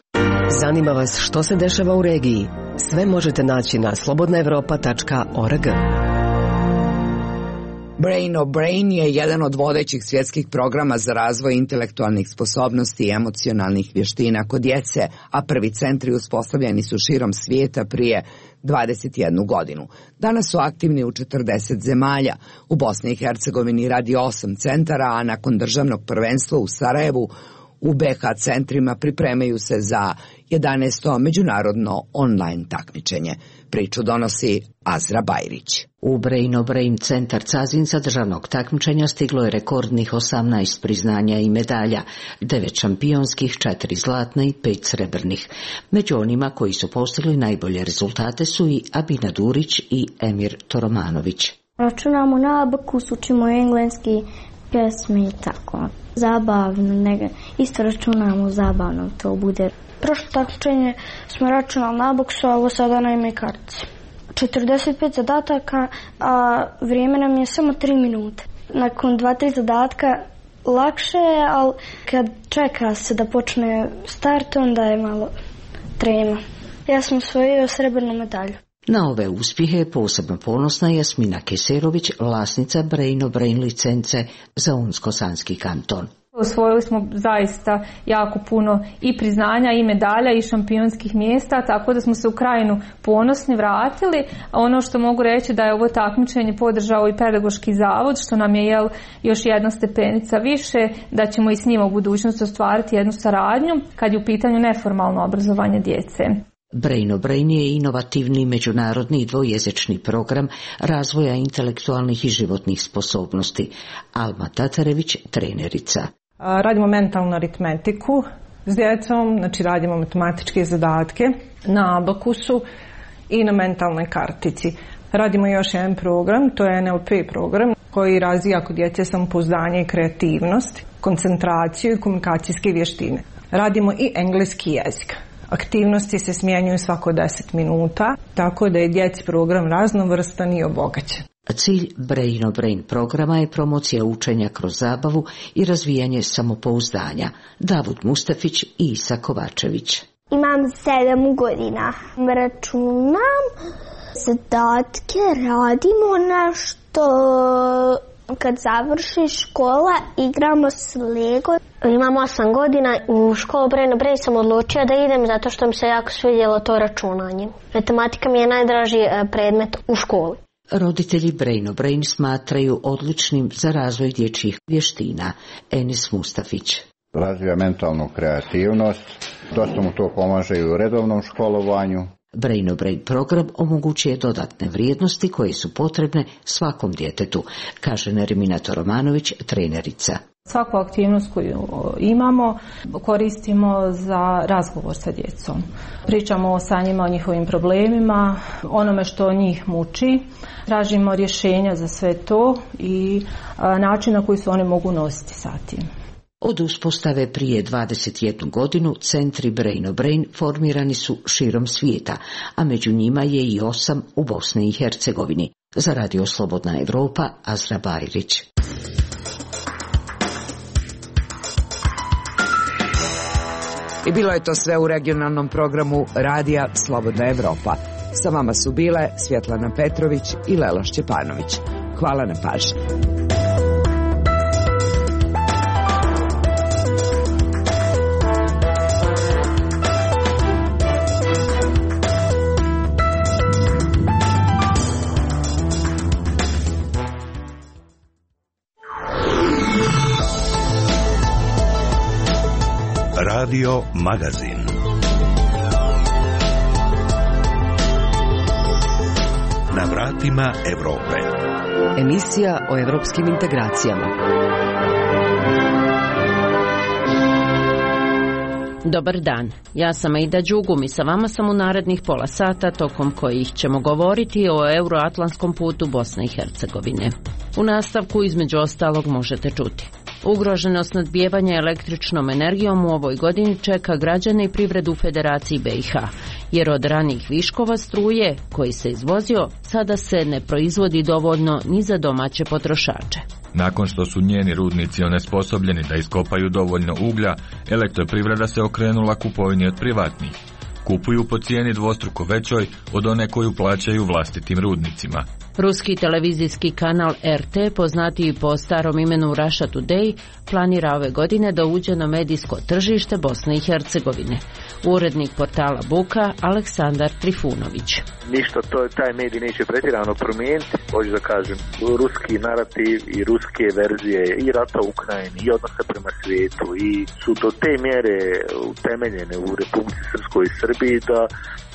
Zanima vas što se dešava u regiji? Sve možete naći na slobodna evropa tačka org. Brain o Brain je jedan od vodećih svjetskih programa za razvoj intelektualnih sposobnosti i emocionalnih vještina kod djece, a prvi centri uspostavljeni su širom svijeta prije dvadeset jednu godinu. Danas su aktivni u četrdeset zemalja. U Bosni i Hercegovini radi osam centara, a nakon državnog prvenstva u Sarajevu u be ha centrima pripremaju se za jedanaesto međunarodno online takmičenje. Priču donosi Azra Bajrić. U Brain o Brain centar Cazin za državnog takmičenja stiglo je rekordnih osamnaest priznanja i medalja, devet šampionskih, četiri zlatna i pet srebrnih. Među onima koji su postigli najbolje rezultate su i Abina Durić i Emir Toromanović. Računamo na abakus, učimo engleski, pjesme i tako. Zabavno, ne, isto računamo zabavno, to bude. Prošlo takmičenje smo računali na abaksu, a ovo sada na ime kartice. četrdeset pet zadataka, a vrijeme nam je samo tri minute. Nakon dva tri zadatka lakše je, ali kad čeka se da počne start, onda je malo trema. Ja sam osvojio srebrnu medalju. Na ove uspjehe je posebno ponosna Jasmina Keserović, vlasnica Brain o Brain licence za Unsko-Sanski kanton. Osvojili smo zaista jako puno i priznanja i medalja i šampionskih mjesta, tako da smo se u Krajinu ponosni vratili. A ono što mogu reći da je ovo takmičenje podržao i pedagoški zavod, što nam je jel, još jedna stepenica više, da ćemo i s njima u budućnosti ostvariti jednu saradnju kad je u pitanju neformalno obrazovanje djece. Brain o Brain je inovativni međunarodni i dvojezični program razvoja intelektualnih i životnih sposobnosti. Alma Tatarević, trenerica. Radimo mentalnu aritmetiku s djecom, znači radimo matematičke zadatke na abakusu i na mentalnoj kartici. Radimo još jedan program, to je en el pe program koji razvija kod djece samopouzdanje i kreativnost, koncentraciju i komunikacijske vještine. Radimo i engleski jezik. Aktivnosti se smjenjuju svako deset minuta, tako da je djeci program raznovrstan i obogaćen. Cilj Brain o Brain programa je promocija učenja kroz zabavu i razvijanje samopouzdanja. Davud Mustafić i Isa Kovačević. Imam sedam godina. Računam, zadatke, radimo nešto. Kad završi škola, igramo s Lego. Imam osam godina. U školu Brain o Brain sam odlučio da idem zato što mi se jako svidjelo to računanje. Matematika mi je najdraži predmet u školi. Roditelji Brain o Brain smatraju odličnim za razvoj dječjih vještina. Enis Mustafić. Razvija mentalnu kreativnost, dosta mu to pomaže i u redovnom školovanju. Brain o Brain program omogućuje dodatne vrijednosti koje su potrebne svakom djetetu, kaže Nermina Toromanović, trenerica. Svaku aktivnost koju imamo koristimo za razgovor sa djecom. Pričamo sa njima o njihovim problemima, onome što njih muči. Tražimo rješenja za sve to i način na koji se oni mogu nositi sa tim. Od uspostave prije dvadeset jednu godinu centri Brain o Brain formirani su širom svijeta, a među njima je i osam u Bosni i Hercegovini. Za Radio Slobodna Evropa, Azra Bajrić. I bilo je to sve u regionalnom programu Radija Slobodna Evropa. Sa vama su bile Svjetlana Petrović i Lela Šćepanović. Hvala na pažnji. Radio Magazin. Na vratima Evrope. Emisija o evropskim integracijama. Dobar dan, ja sam Aida Đugum i sa vama sam u narednih pola sata tokom kojih ćemo govoriti o euroatlantskom putu Bosne i Hercegovine. U nastavku između ostalog možete čuti: ugroženo snabdijevanje električnom energijom u ovoj godini čeka građane i privredu u Federaciji B i H, jer od ranih viškova struje koji se izvozio sada se ne proizvodi dovoljno ni za domaće potrošače. Nakon što su njeni rudnici onesposobljeni da iskopaju dovoljno uglja, elektroprivreda se okrenula kupovini od privatnih. Kupuju po cijeni dvostruko većoj od one koju plaćaju vlastitim rudnicima. Ruski televizijski kanal R T, poznatiji po starom imenu Russia Today, planira ove godine da uđe na medijsko tržište Bosne i Hercegovine. Urednik portala Buka Aleksandar Trifunović. Ništa, to taj medij neće pretjerano promijeniti, hoću da kažem, ruski narativ i ruske verzije i rata u Ukrajini i odnose prema svijetu i su do te mjere utemeljene u Republici Srpskoj i Srbiji da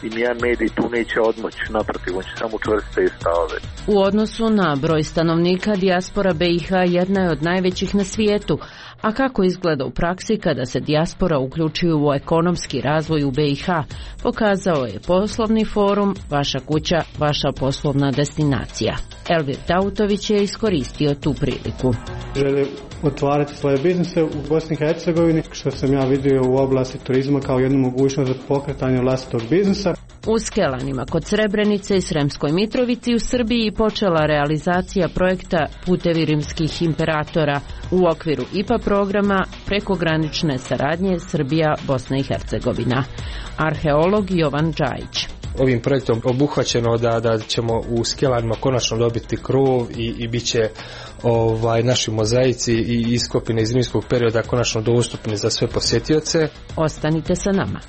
im jedan medij tu neće odmoći, naprotiv, on će samo učvrstiti stavove. U odnosu na broj stanovnika, dijaspora B i H jedna je od najvećih na svijetu, a kako izgleda u praksi kada se dijaspora uključuju u ekonomski razvoj u B i H, pokazao je poslovni forum Vaša kuća, vaša poslovna destinacija. Elvir Dautović je iskoristio tu priliku. Žele otvarati svoje biznise u Bosni i Hercegovini, što sam ja vidio u oblasti turizma kao jednu mogućnost za pokretanje vlastitog biznisa. U Skelanima kod Srebrenice i Sremskoj Mitrovici u Srbiji počela realizacija projekta Putevi rimskih imperatora u okviru I P A programa prekogranične saradnje Srbija-Bosna i Hercegovina. Arheolog Jovan Džajić. Ovim projektom obuhvaćeno da, da ćemo u Skelanima konačno dobiti krov i, i bit će ovaj, naši mozaici i iskopine iz rimskog perioda konačno dostupni za sve posjetioce. Ostanite sa nama.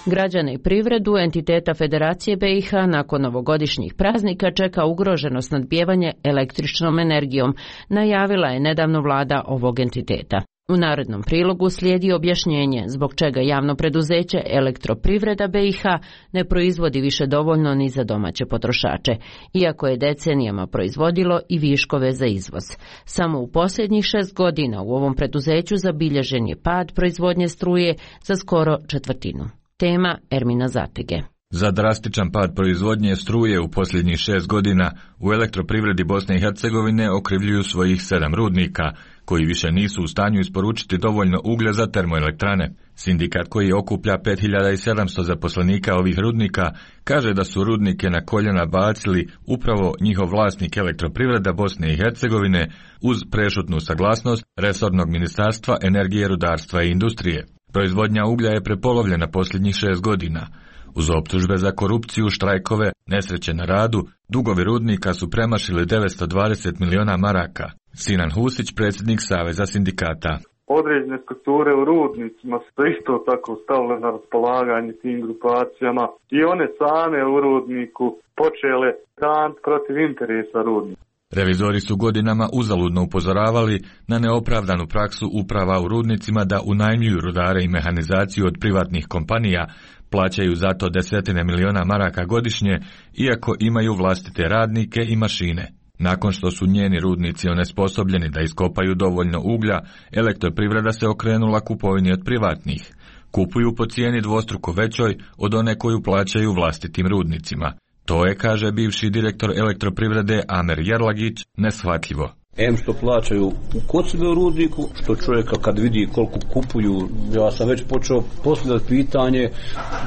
Građane i privredu entiteta Federacije B i H nakon ovogodišnjih praznika čeka ugroženo snabdijevanje električnom energijom, najavila je nedavno vlada ovog entiteta. U narednom prilogu slijedi objašnjenje zbog čega javno preduzeće Elektroprivreda B i H ne proizvodi više dovoljno ni za domaće potrošače, iako je decenijama proizvodilo i viškove za izvoz. Samo u posljednjih šest godina u ovom preduzeću zabilježen je pad proizvodnje struje za skoro četvrtinu. Tema Ermina Zatege. Za drastičan pad proizvodnje struje u posljednjih šest godina u Elektroprivredi Bosne i Hercegovine okrivljuju svojih sedam rudnika, koji više nisu u stanju isporučiti dovoljno uglja za termoelektrane. Sindikat koji okuplja pet hiljada sedamsto zaposlenika ovih rudnika kaže da su rudnike na koljena bacili upravo njihov vlasnik Elektroprivreda Bosne i Hercegovine uz prešutnu saglasnost resornog ministarstva energije, rudarstva i industrije. Proizvodnja uglja je prepolovljena posljednjih šest godina. Uz optužbe za korupciju, štrajkove, nesreće na radu, dugovi rudnika su premašili devetsto dvadeset miliona maraka. Sinan Husić, predsjednik Saveza sindikata. Određene strukture u rudnicima su isto tako stavile na raspolaganje tim grupacijama i one same u rudniku počele dan protiv interesa rudnika. Revizori su godinama uzaludno upozoravali na neopravdanu praksu uprava u rudnicima da unajmljuju rudare i mehanizaciju od privatnih kompanija, plaćaju zato desetine miliona maraka godišnje, iako imaju vlastite radnike i mašine. Nakon što su njeni rudnici onesposobljeni da iskopaju dovoljno uglja, Elektroprivreda se okrenula kupovini od privatnih. Kupuju po cijeni dvostruko većoj od one koju plaćaju vlastitim rudnicima. To je, kaže bivši direktor Elektroprivrede Amer Jerlagić, neshvatljivo. Em što plaćaju kod sebe u rudniku, što čovjeka kad vidi koliko kupuju, ja sam već počeo postavljati pitanje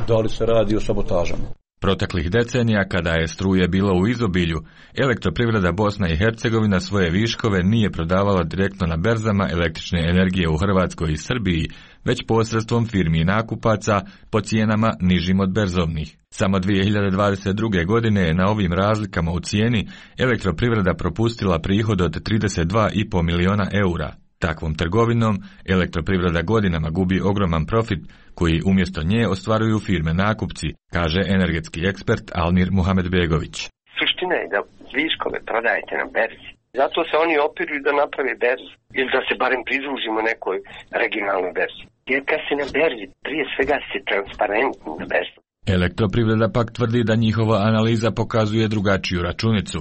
da li se radi o sabotažama. Proteklih decenija, kada je struje bilo u izobilju, Elektroprivreda Bosna i Hercegovina svoje viškove nije prodavala direktno na berzama električne energije u Hrvatskoj i Srbiji, već posredstvom firmi i nakupaca po cijenama nižim od berzovnih. Samo dvije hiljade dvadeset druge. godine je na ovim razlikama u cijeni Elektroprivreda propustila prihod od trideset dva i po miliona eura. Takvom trgovinom Elektroprivreda godinama gubi ogroman profit koji umjesto nje ostvaruju firme nakupci, kaže energetski ekspert Almir Muhamedbegović. Suština je da viškove prodajete na berzi. Zato se oni opiruju da naprave berzu ili da se barem pridružimo nekoj regionalnoj berzi. Jer kad se na berzi, prije svega se transparentni na berzi. Elektroprivreda pak tvrdi da njihova analiza pokazuje drugačiju računicu,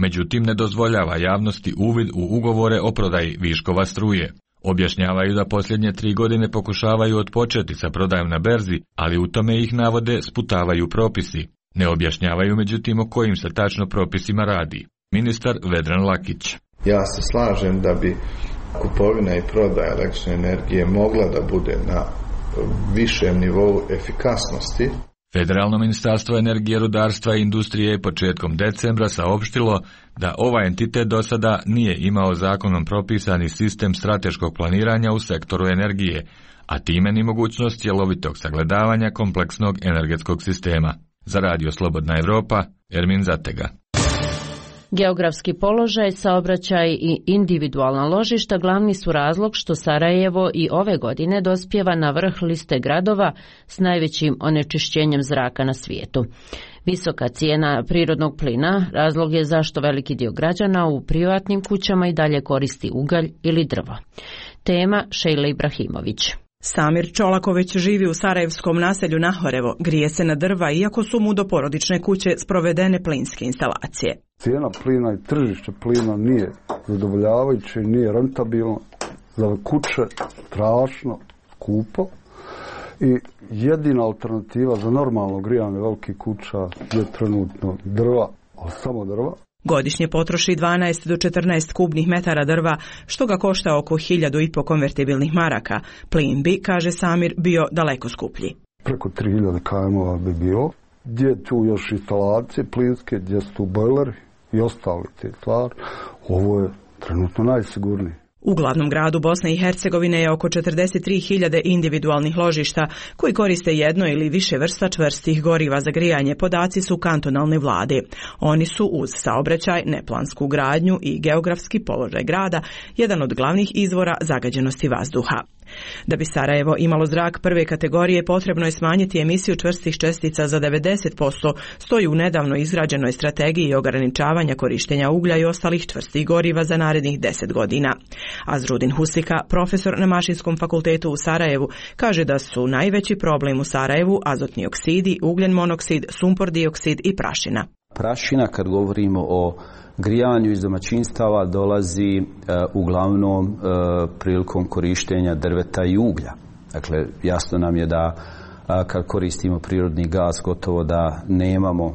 međutim ne dozvoljava javnosti uvid u ugovore o prodaji viškova struje. Objašnjavaju da posljednje tri godine pokušavaju otpočeti sa prodajom na berzi, ali u tome ih navode sputavaju propisi. Ne objašnjavaju međutim o kojim se tačno propisima radi. Ministar Vedran Lakić. Ja se slažem da bi kupovina i prodaja električne energije mogla da bude na višem nivou efikasnosti. Federalno ministarstvo energije, rudarstva i industrije je početkom decembra saopštilo da ovaj entitet do sada nije imao zakonom propisani sistem strateškog planiranja u sektoru energije, a time ni mogućnost cjelovitog sagledavanja kompleksnog energetskog sistema. Za Radio Slobodna Evropa, Ermin Zatega. Geografski položaj, saobraćaj i individualna ložišta glavni su razlog što Sarajevo i ove godine dospijeva na vrh liste gradova s najvećim onečišćenjem zraka na svijetu. Visoka cijena prirodnog plina razlog je zašto veliki dio građana u privatnim kućama i dalje koristi ugalj ili drvo. Tema Šejla Ibrahimović. Samir Čolaković živi u sarajevskom naselju Nahorevo, grije se na drva iako su mu do porodične kuće sprovedene plinske instalacije. Cijena plina i tržište plina nije zadovoljavajuće, nije rentabilno, za kuće strašno skupo i jedina alternativa za normalno grijanje velikih kuća je trenutno drva, ali samo drva. Godišnje potroši dvanaest do četrnaest kubnih metara drva, što ga košta oko hiljadu i po konvertibilnih maraka. Plin bi, kaže Samir, bio daleko skuplji. Preko tri hiljade km bi bilo. Gdje je tu još instalacije plinske, gdje su tu bojleri i ostali te stvari. Ovo je trenutno najsigurniji. U glavnom gradu Bosne i Hercegovine je oko četrdeset tri hiljade individualnih ložišta koji koriste jedno ili više vrsta čvrstih goriva za grijanje, podaci su kantonalne vlade. Oni su uz saobraćaj, neplansku gradnju i geografski položaj grada jedan od glavnih izvora zagađenosti vazduha. Da bi Sarajevo imalo zrak prve kategorije, potrebno je smanjiti emisiju čvrstih čestica za devedeset posto, stoji u nedavno izrađenoj strategiji ograničavanja korištenja uglja i ostalih čvrstih goriva za narednih deset godina. Azrudin Husika, profesor na Mašinskom fakultetu u Sarajevu, kaže da su najveći problem u Sarajevu azotni oksidi, ugljen monoksid, sumpor dioksid i prašina. Prašina, kad govorimo o grijanju iz domaćinstava, dolazi e, uglavnom e, prilikom korištenja drveta i uglja. Dakle, jasno nam je da a, kad koristimo prirodni gaz, gotovo da nemamo e,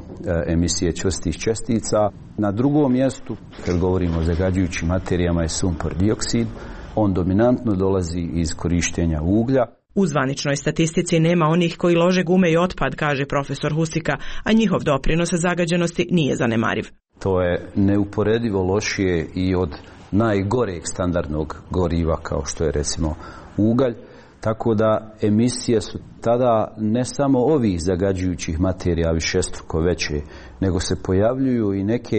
emisije čvrstih čestica. Na drugom mjestu, kad govorimo o zagađujućim materijama, je sumpor dioksid. On dominantno dolazi iz korištenja uglja. U zvaničnoj statistici nema onih koji lože gume i otpad, kaže profesor Husika, a njihov doprinos zagađenosti nije zanemariv. To je neuporedivo lošije i od najgoreg standardnog goriva kao što je recimo ugalj, tako da emisije su tada ne samo ovih zagađujućih materija višestruko veće, nego se pojavljuju i neke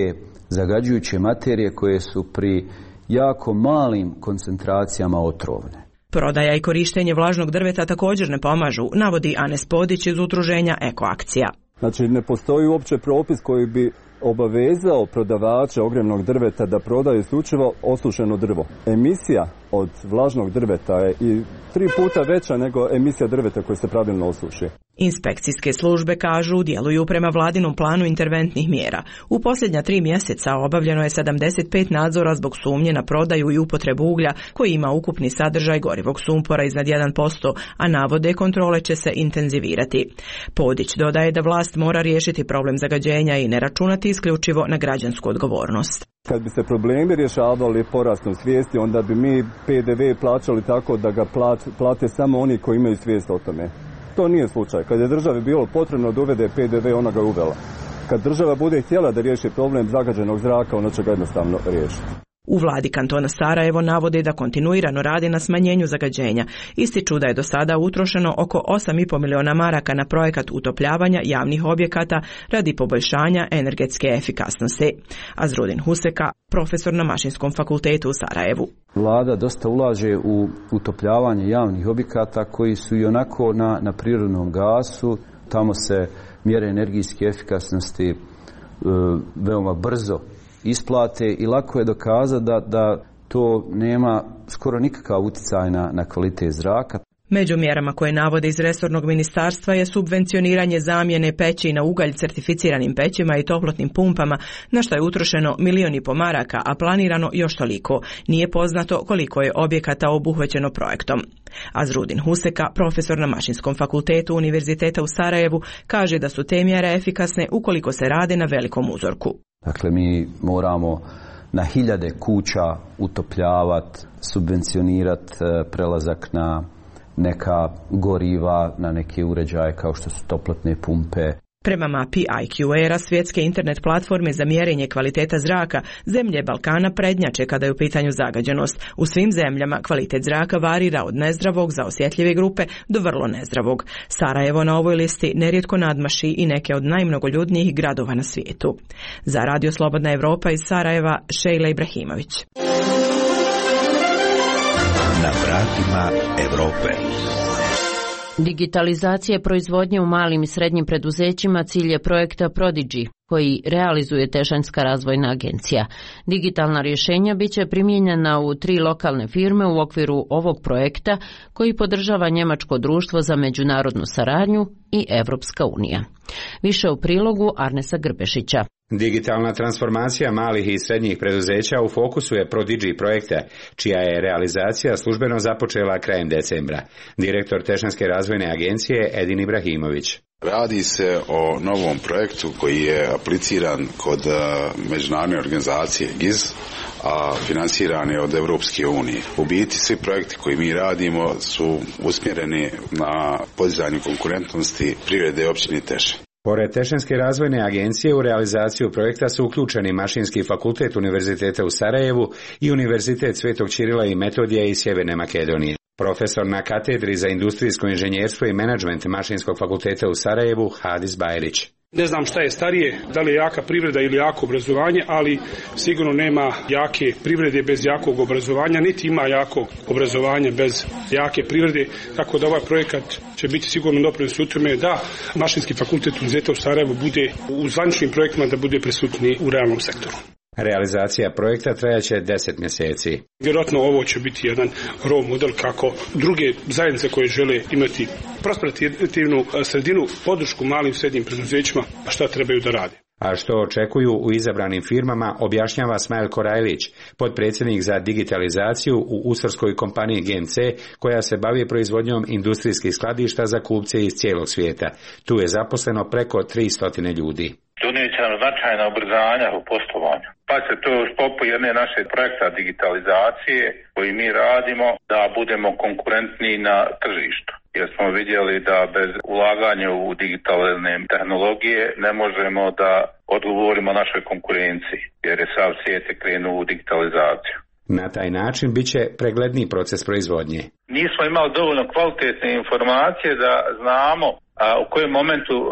zagađujuće materije koje su pri jako malim koncentracijama otrovne. Prodaja i korištenje vlažnog drveta također ne pomažu, navodi Anes Podić iz udruženja Ekoakcija. Znači, ne postoji uopće propis koji bi obavezao prodavača ogrjevnog drveta da prodaju isključivo osušeno drvo. Emisija od vlažnog drveta je i tri puta veća nego emisija drveta koje se pravilno osuši. Inspekcijske službe, kažu, djeluju prema vladinom planu interventnih mjera. U posljednja tri mjeseca obavljeno je sedamdeset pet nadzora zbog sumnje na prodaju i upotrebu uglja koji ima ukupni sadržaj gorivog sumpora iznad jedan posto, a navode kontrole će se intenzivirati. Podić dodaje da vlast mora riješiti problem zagađenja i ne računati isključivo na građansku odgovornost. Kad bi se problemi rješavali porastom svijesti, onda bi mi P D V plaćali tako da ga plate samo oni koji imaju svijest o tome. To nije slučaj. Kad je državi bilo potrebno da uvede P D V, ona ga uvela. Kad država bude htjela da riješi problem zagađenog zraka, ona će ga jednostavno riješiti. U vladi kantona Sarajevo navode da kontinuirano radi na smanjenju zagađenja. Ističu da je do sada utrošeno oko osam i pol miliona maraka na projekat utopljavanja javnih objekata radi poboljšanja energetske efikasnosti. Azrudin Huseka, profesor na Mašinskom fakultetu u Sarajevu. Vlada dosta ulaže u utopljavanje javnih objekata koji su i onako na, na prirodnom gasu. Tamo se mjere energijske efikasnosti e, veoma brzo isplate i lako je dokazati da, da to nema skoro nikakav utjecaj na, na kvalitet zraka. Među mjerama koje navode iz resornog ministarstva je subvencioniranje zamjene peći na ugalj certificiranim pećima i toplotnim pumpama, na što je utrošeno milion i po maraka, a planirano još toliko. Nije poznato koliko je objekata obuhvaćeno projektom. Azrudin Huseka, profesor na Mašinskom fakultetu Univerziteta u Sarajevu, kaže da su te mjere efikasne ukoliko se rade na velikom uzorku. Dakle, mi moramo na hiljade kuća utopljavati, subvencionirati prelazak na neka goriva, na neke uređaje kao što su toplotne pumpe. Prema mapi I Q A-a, svjetske internet platforme za mjerenje kvaliteta zraka, zemlje Balkana prednjače kada je u pitanju zagađenost. U svim zemljama kvalitet zraka varira od nezdravog za osjetljive grupe do vrlo nezdravog. Sarajevo na ovoj listi nerijetko nadmaši i neke od najmnogoljudnijih gradova na svijetu. Za Radio Slobodna Evropa iz Sarajeva, Šejla Ibrahimović. Na vratima Evrope. Digitalizacija proizvodnje u malim i srednjim preduzećima cilj je projekta Prodigy, koji realizuje Tešanska razvojna agencija. Digitalna rješenja bit će primijenjena u tri lokalne firme u okviru ovog projekta koji podržava Njemačko društvo za međunarodnu saradnju i Evropska unija. Više u prilogu Arnesa Grbešića. Digitalna transformacija malih i srednjih preduzeća u fokusu je Prodigy projekta, čija je realizacija službeno započela krajem decembra. Direktor Tešanske razvojne agencije Edin Ibrahimović. Radi se o novom projektu koji je apliciran kod međunarodne organizacije G I Z, a financiran je od Evropske unije. U biti svi projekti koji mi radimo su usmjereni na podizanju konkurentnosti privrede općine Tešan. Pored Tešanske razvojne agencije u realizaciju projekta su uključeni Mašinski fakultet Univerziteta u Sarajevu i Univerzitet Svetog Ćirila i Metodija iz Sjeverne Makedonije. Profesor na katedri za industrijsko inženjerstvo i menadžment Mašinskog fakulteta u Sarajevu Hadis Bajrić. Ne znam šta je starije, da li je jaka privreda ili jako obrazovanje, ali sigurno nema jake privrede bez jakog obrazovanja, niti ima jakog obrazovanja bez jake privrede, tako da ovaj projekat će biti sigurno doprinos u tome da Mašinski fakultet Univerziteta u Sarajevu bude u zvaničnim projektima da bude prisutni u realnom sektoru. Realizacija projekta trajaće deset mjeseci. Vjerojatno ovo će biti jedan role model kako druge zajednice koje žele imati prosperativnu sredinu, podršku malim i srednjim preduzećima, a šta trebaju da rade. A što očekuju u izabranim firmama, objašnjava Smajl Korajlić, potpredsjednik za digitalizaciju u usarskoj kompaniji G M C, koja se bavi proizvodnjom industrijskih skladišta za kupce iz cijelog svijeta. Tu je zaposleno preko tristo ljudi. Donijet će nam značajna ubrzanja u poslovanju. Pa se to u sklopu jedne naše projekta digitalizacije koji mi radimo da budemo konkurentni na tržištu. Jer smo vidjeli da bez ulaganja u digitalne tehnologije ne možemo da odgovorimo našoj konkurenciji, jer je sav svijet krenuo u digitalizaciju. Na taj način bit će pregledniji proces proizvodnje. Nismo imali dovoljno kvalitetne informacije da znamo a, u kojem momentu a,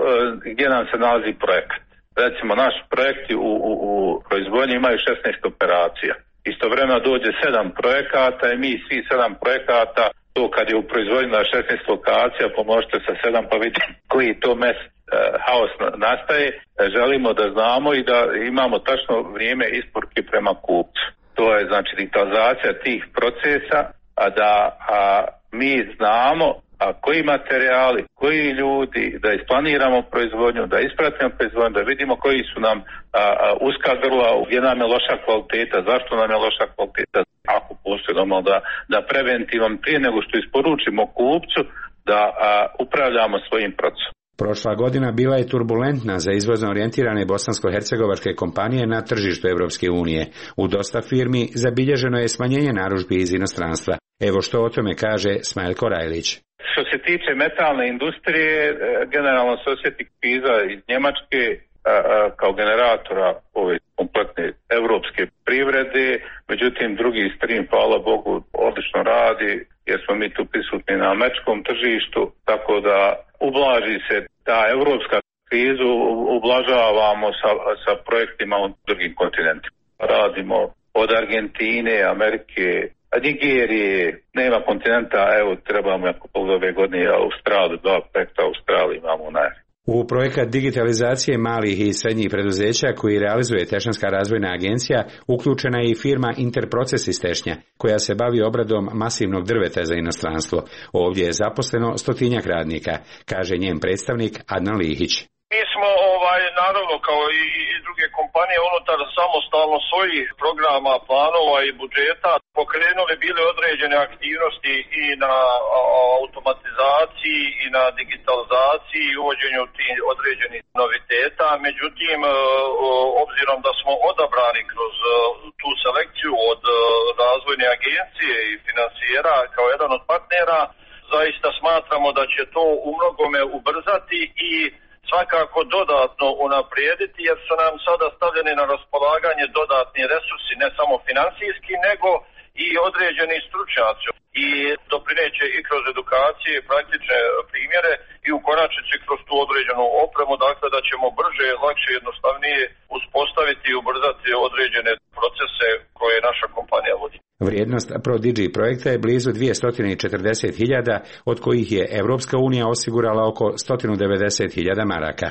gdje nam se nalazi projekat. Recimo, naši projekti u, u, u proizvodnji imaju šesnaest operacija. Istovremeno dođe sedam projekata i mi svi sedam projekata, to kad je u proizvodnji na šesnaest lokacija, pomnožite sa sedam pa vidite koji to mes e, haos nastaje. Želimo da znamo i da imamo tačno vrijeme isporuke prema kupcu. To je znači digitalizacija tih procesa, a da a, mi znamo a, a koji materijali, koji ljudi, da isplaniramo proizvodnju, da ispratimo proizvodnju, da vidimo koji su nam a, a, uska grla, gdje nam je loša kvaliteta, zašto nam je loša kvaliteta, ako postoji normalno da, da preventivom prije nego što isporučimo kupcu, da a, upravljamo svojim procesom. Prošla godina bila je turbulentna za izvozno orijentirane bosansko-hercegovačke kompanije na tržištu Europske unije. U dosta firmi zabilježeno je smanjenje narudžbi iz inostranstva. Evo što o tome kaže Smajl Korajlić. Što se tiče metalne industrije, generalno se osjeti kriza iz Njemačke kao generatora ove kompletne evropske privrede, međutim drugi stream, hvala Bogu, odlično radi jer smo mi tu prisutni na američkom tržištu, tako da ublaži se ta evropska krizu, ublažavamo sa, sa projektima u drugim kontinentima. Radimo od Argentine, Amerike, Nigerije, nema kontinenta, evo trebamo jako ove godine Australiju, dva projekta Australije imamo u najavi. U projekat digitalizacije malih i srednjih preduzeća koji realizuje Tešnjanska razvojna agencija uključena je i firma Interproces iz Tešnja, koja se bavi obradom masivnog drveta za inostranstvo. Ovdje je zaposleno stotinjak radnika, kaže njen predstavnik Adnan Lihić. Mi smo, ovaj, naravno, kao i, i druge kompanije, unutar samostalno svojih programa, planova i budžeta pokrenuli bile određene aktivnosti i na a, automatizaciji i na digitalizaciji i uvođenju tih određenih noviteta. Međutim, o, obzirom da smo odabrani kroz o, tu selekciju od o, razvojne agencije i finansijera kao jedan od partnera, zaista smatramo da će to u mnogome ubrzati i svakako dodatno unaprijediti, jer su nam sada stavljeni na raspolaganje dodatni resursi, ne samo financijski, nego i određeni stručnjaci. I doprineće i kroz edukacije, praktične primjere i u konačnici kroz tu određenu opremu, dakle da ćemo brže, lakše, jednostavnije uspostaviti i ubrzati određene procese koje naša kompanija vodi. Vrijednost ProDigi projekta je blizu dvjesto četrdeset hiljada, od kojih je Evropska unija osigurala oko sto devedeset hiljada maraka.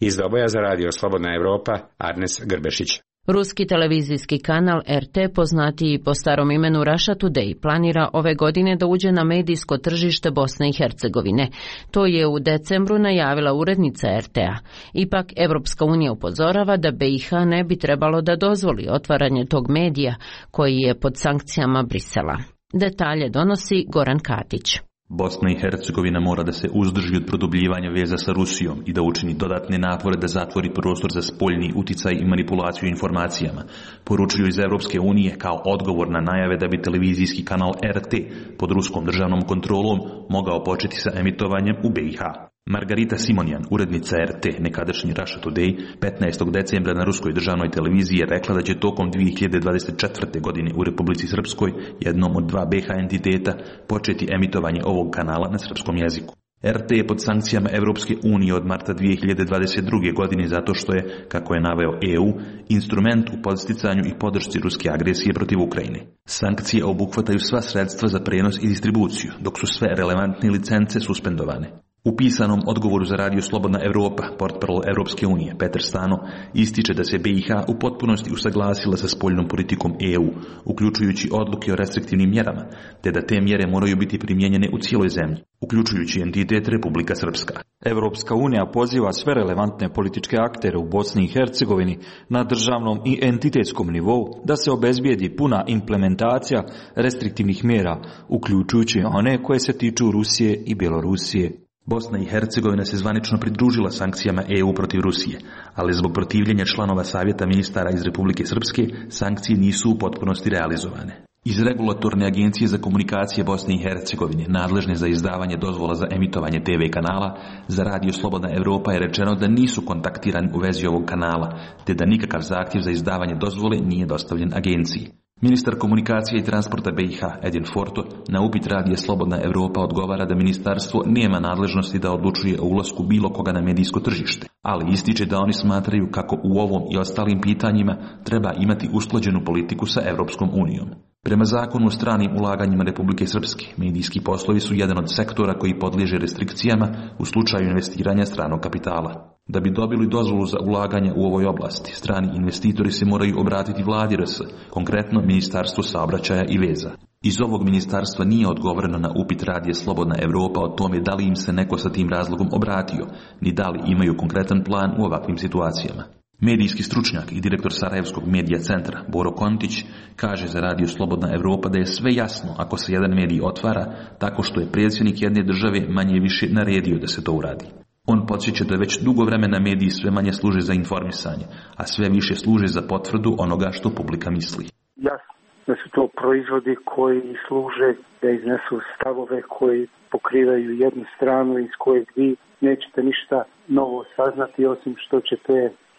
Iz Doboja za radio Slobodna Evropa, Arnes Grbešić. Ruski televizijski kanal R T, poznatiji po starom imenu Russia Today, planira ove godine da uđe na medijsko tržište Bosne i Hercegovine. To je u decembru najavila urednica R T A. Ipak, Evropska unija upozorava da B i H ne bi trebalo da dozvoli otvaranje tog medija koji je pod sankcijama Brisela. Detalje donosi Goran Katić. Bosna i Hercegovina mora da se uzdrži od produbljivanja veza sa Rusijom i da učini dodatne napore da zatvori prostor za spoljni uticaj i manipulaciju informacijama, poručuju iz Evropske unije kao odgovor na najave da bi televizijski kanal R T pod ruskom državnom kontrolom mogao početi sa emitovanjem u B i H. Margarita Simonjan, urednica R T, nekadašnji Russia Today, petnaestog decembra na ruskoj državnoj televiziji je rekla da će tokom dvije hiljade dvadeset četvrte. godine u Republici Srpskoj, jednom od dva B H entiteta, početi emitovanje ovog kanala na srpskom jeziku. R T je pod sankcijama Evropske unije od marta dvije hiljade dvadeset druge. godine zato što je, kako je naveo E U, instrument u podsticanju i podršci ruske agresije protiv Ukrajine. Sankcije obuhvataju sva sredstva za prenos i distribuciju, dok su sve relevantne licence suspendovane. U pisanom odgovoru za radio Slobodna Evropa, portparol Evropske unije, Petar Stano, ističe da se B i H u potpunosti usaglasila sa spoljnom politikom E U, uključujući odluke o restriktivnim mjerama, te da te mjere moraju biti primijenjene u cijeloj zemlji, uključujući entitet Republika Srpska. Evropska unija poziva sve relevantne političke aktere u Bosni i Hercegovini na državnom i entitetskom nivou da se obezbijedi puna implementacija restriktivnih mjera, uključujući one koje se tiču Rusije i Bjelorusije. Bosna i Hercegovina se zvanično pridružila sankcijama E U protiv Rusije, ali zbog protivljenja članova Savjeta ministara iz Republike Srpske, sankcije nisu u potpunosti realizovane. Iz Regulatorne agencije za komunikacije Bosne i Hercegovine, nadležne za izdavanje dozvola za emitovanje T V kanala, za radio Slobodna Evropa je rečeno da nisu kontaktirani u vezi ovog kanala, te da nikakav zahtjev za izdavanje dozvole nije dostavljen agenciji. Ministar komunikacije i transporta B i H, Edin Forto, na upit radija Slobodna Evropa odgovara da ministarstvo nema nadležnosti da odlučuje o ulasku bilo koga na medijsko tržište, ali ističe da oni smatraju kako u ovom i ostalim pitanjima treba imati usklađenu politiku sa Evropskom unijom. Prema zakonu o stranim ulaganjima Republike Srpske, medijski poslovi su jedan od sektora koji podliježe restrikcijama u slučaju investiranja stranog kapitala. Da bi dobili dozvolu za ulaganje u ovoj oblasti, strani investitori se moraju obratiti vladi R S, konkretno Ministarstvu saobraćaja i veza. Iz ovog ministarstva nije odgovoreno na upit radija Slobodna Evropa o tome da li im se neko sa tim razlogom obratio, ni da li imaju konkretan plan u ovakvim situacijama. Medijski stručnjak i direktor Sarajevskog medija centra Boro Kontić kaže za radio Slobodna Evropa da je sve jasno ako se jedan medij otvara tako što je predsjednik jedne države manje više naredio da se to uradi. On podsjeća da već dugo vremena mediji sve manje služe za informisanje, a sve više služe za potvrdu onoga što publika misli. Jasno da su to proizvodi koji služe da iznesu stavove koji pokrivaju jednu stranu iz kojeg vi nećete ništa novo saznati osim što ćete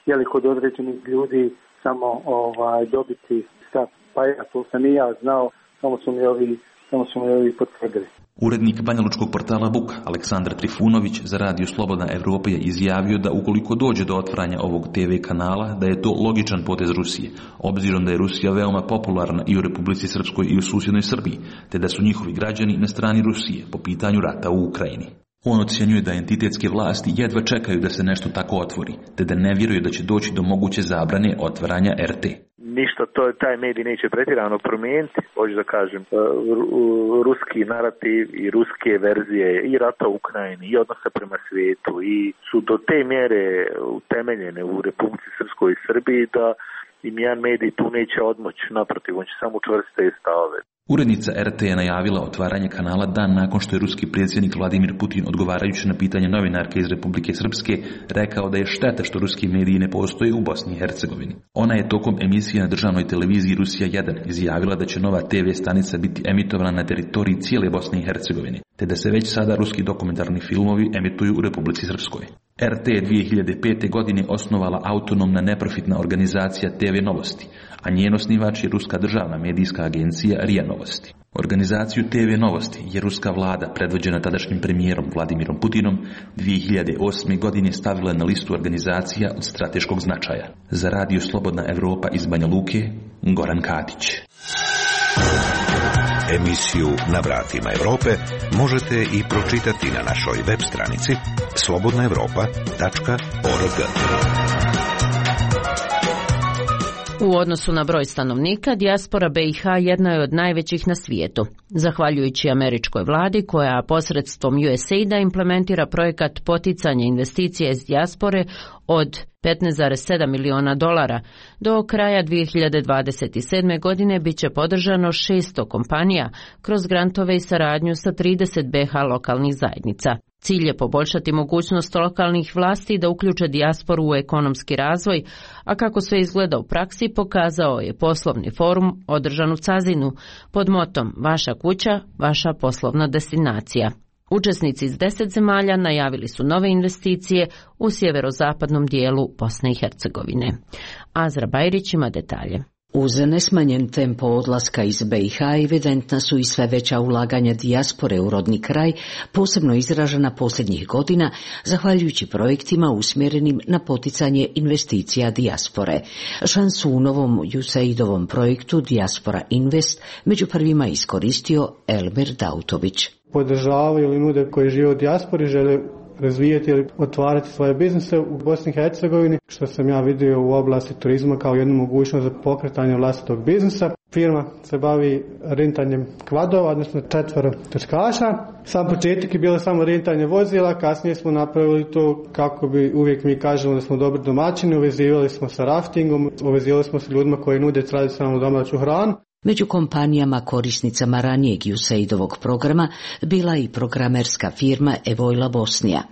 jeli kod određenih ljudi samo ovaj dobiti stav. Pa ja to sam i ja znao, samo su mi ovi, samo su mi ovi potvrdili. Urednik banjalučkog portala Buk, Aleksandar Trifunović, za radio Slobodna Evropa je izjavio da ukoliko dođe do otvaranja ovog te ve kanala, da je to logičan potez Rusije, obzirom da je Rusija veoma popularna i u Republici Srpskoj i u susjednoj Srbiji, te da su njihovi građani na strani Rusije po pitanju rata u Ukrajini. On ocjenjuje da entitetske vlasti jedva čekaju da se nešto tako otvori, te da ne vjeruju da će doći do moguće zabrane otvaranja er te. Ništa to taj medij neće pretjerano promijeniti, hoću da kažem, ruski narativ i ruske verzije i rata u Ukrajini i odnosa prema svijetu i su do te mjere utemeljene u Republici Srpskoj i Srbiji da im jedan medij tu neće odmoći, naprotiv, on će samo učvrstiti te stavove. Urednica er te je najavila otvaranje kanala dan nakon što je ruski predsjednik Vladimir Putin, odgovarajući na pitanje novinarke iz Republike Srpske, rekao da je šteta što ruski mediji ne postoje u Bosni i Hercegovini. Ona je tokom emisije na državnoj televiziji Rusija jedan izjavila da će nova te ve stanica biti emitovana na teritoriji cijele Bosne i Hercegovine, te da se već sada ruski dokumentarni filmovi emituju u Republici Srpskoj. er te je dvije hiljade pete. godine osnovala autonomna neprofitna organizacija te ve Novosti, a njen osnivač je ruska državna medijska agencija er i a Novosti. Organizaciju te ve Novosti je ruska vlada, predvođena tadašnjim premijerom Vladimirom Putinom, dvije hiljade osme. godine stavila na listu organizacija od strateškog značaja. Za radio Slobodna Evropa iz Banja Luke, Goran Katić. Emisiju Na vratima Evrope možete i pročitati na našoj web stranici slobodna evropa tačka org. U odnosu na broj stanovnika, dijaspora be i ha jedna je od najvećih na svijetu. Zahvaljujući američkoj vladi koja posredstvom ju es a ida implementira projekat poticanja investicija iz dijaspore od petnaest zarez sedam miliona dolara. Do kraja dvije hiljade dvadeset sedme. godine bit će podržano šesto kompanija kroz grantove i saradnju sa trideset be ha lokalnih zajednica. Cilj je poboljšati mogućnost lokalnih vlasti da uključe dijasporu u ekonomski razvoj, a kako sve izgleda u praksi pokazao je poslovni forum održan u Cazinu pod motom Vaša kuća, vaša poslovna destinacija. Učesnici iz deset zemalja najavili su nove investicije u sjeverozapadnom dijelu Bosne i Hercegovine. Azra Bajrić ima detalje. Uz nesmanjen tempo odlaska iz be i ha evidentna su i sve veća ulaganja dijaspore u rodni kraj, posebno izražena posljednjih godina, zahvaljujući projektima usmjerenim na poticanje investicija dijaspore. Šansu u novom ju es a idovom projektu Dijaspora Invest među prvima iskoristio Elmir Dautović. Podržavaju ili nude koji žive u dijaspori, žele razvijati ili otvarati svoje biznise u Bosni i Hercegovini, što sam ja vidio u oblasti turizma kao jednu mogućnost za pokretanje vlastitog biznisa. Firma se bavi rentanjem kvadova, odnosno četvoro trčkaša. Sam početak je bilo samo rentanje vozila, kasnije smo napravili to kako bi, uvijek mi kažemo da smo dobri domaćini, uvezivali smo sa raftingom, uvezivali smo sa ljudima koji nude tradicionalnu domaću hranu. Među kompanijama korisnicama ranijeg ju es a idovog programa bila i programerska firma Evojla Bosnija.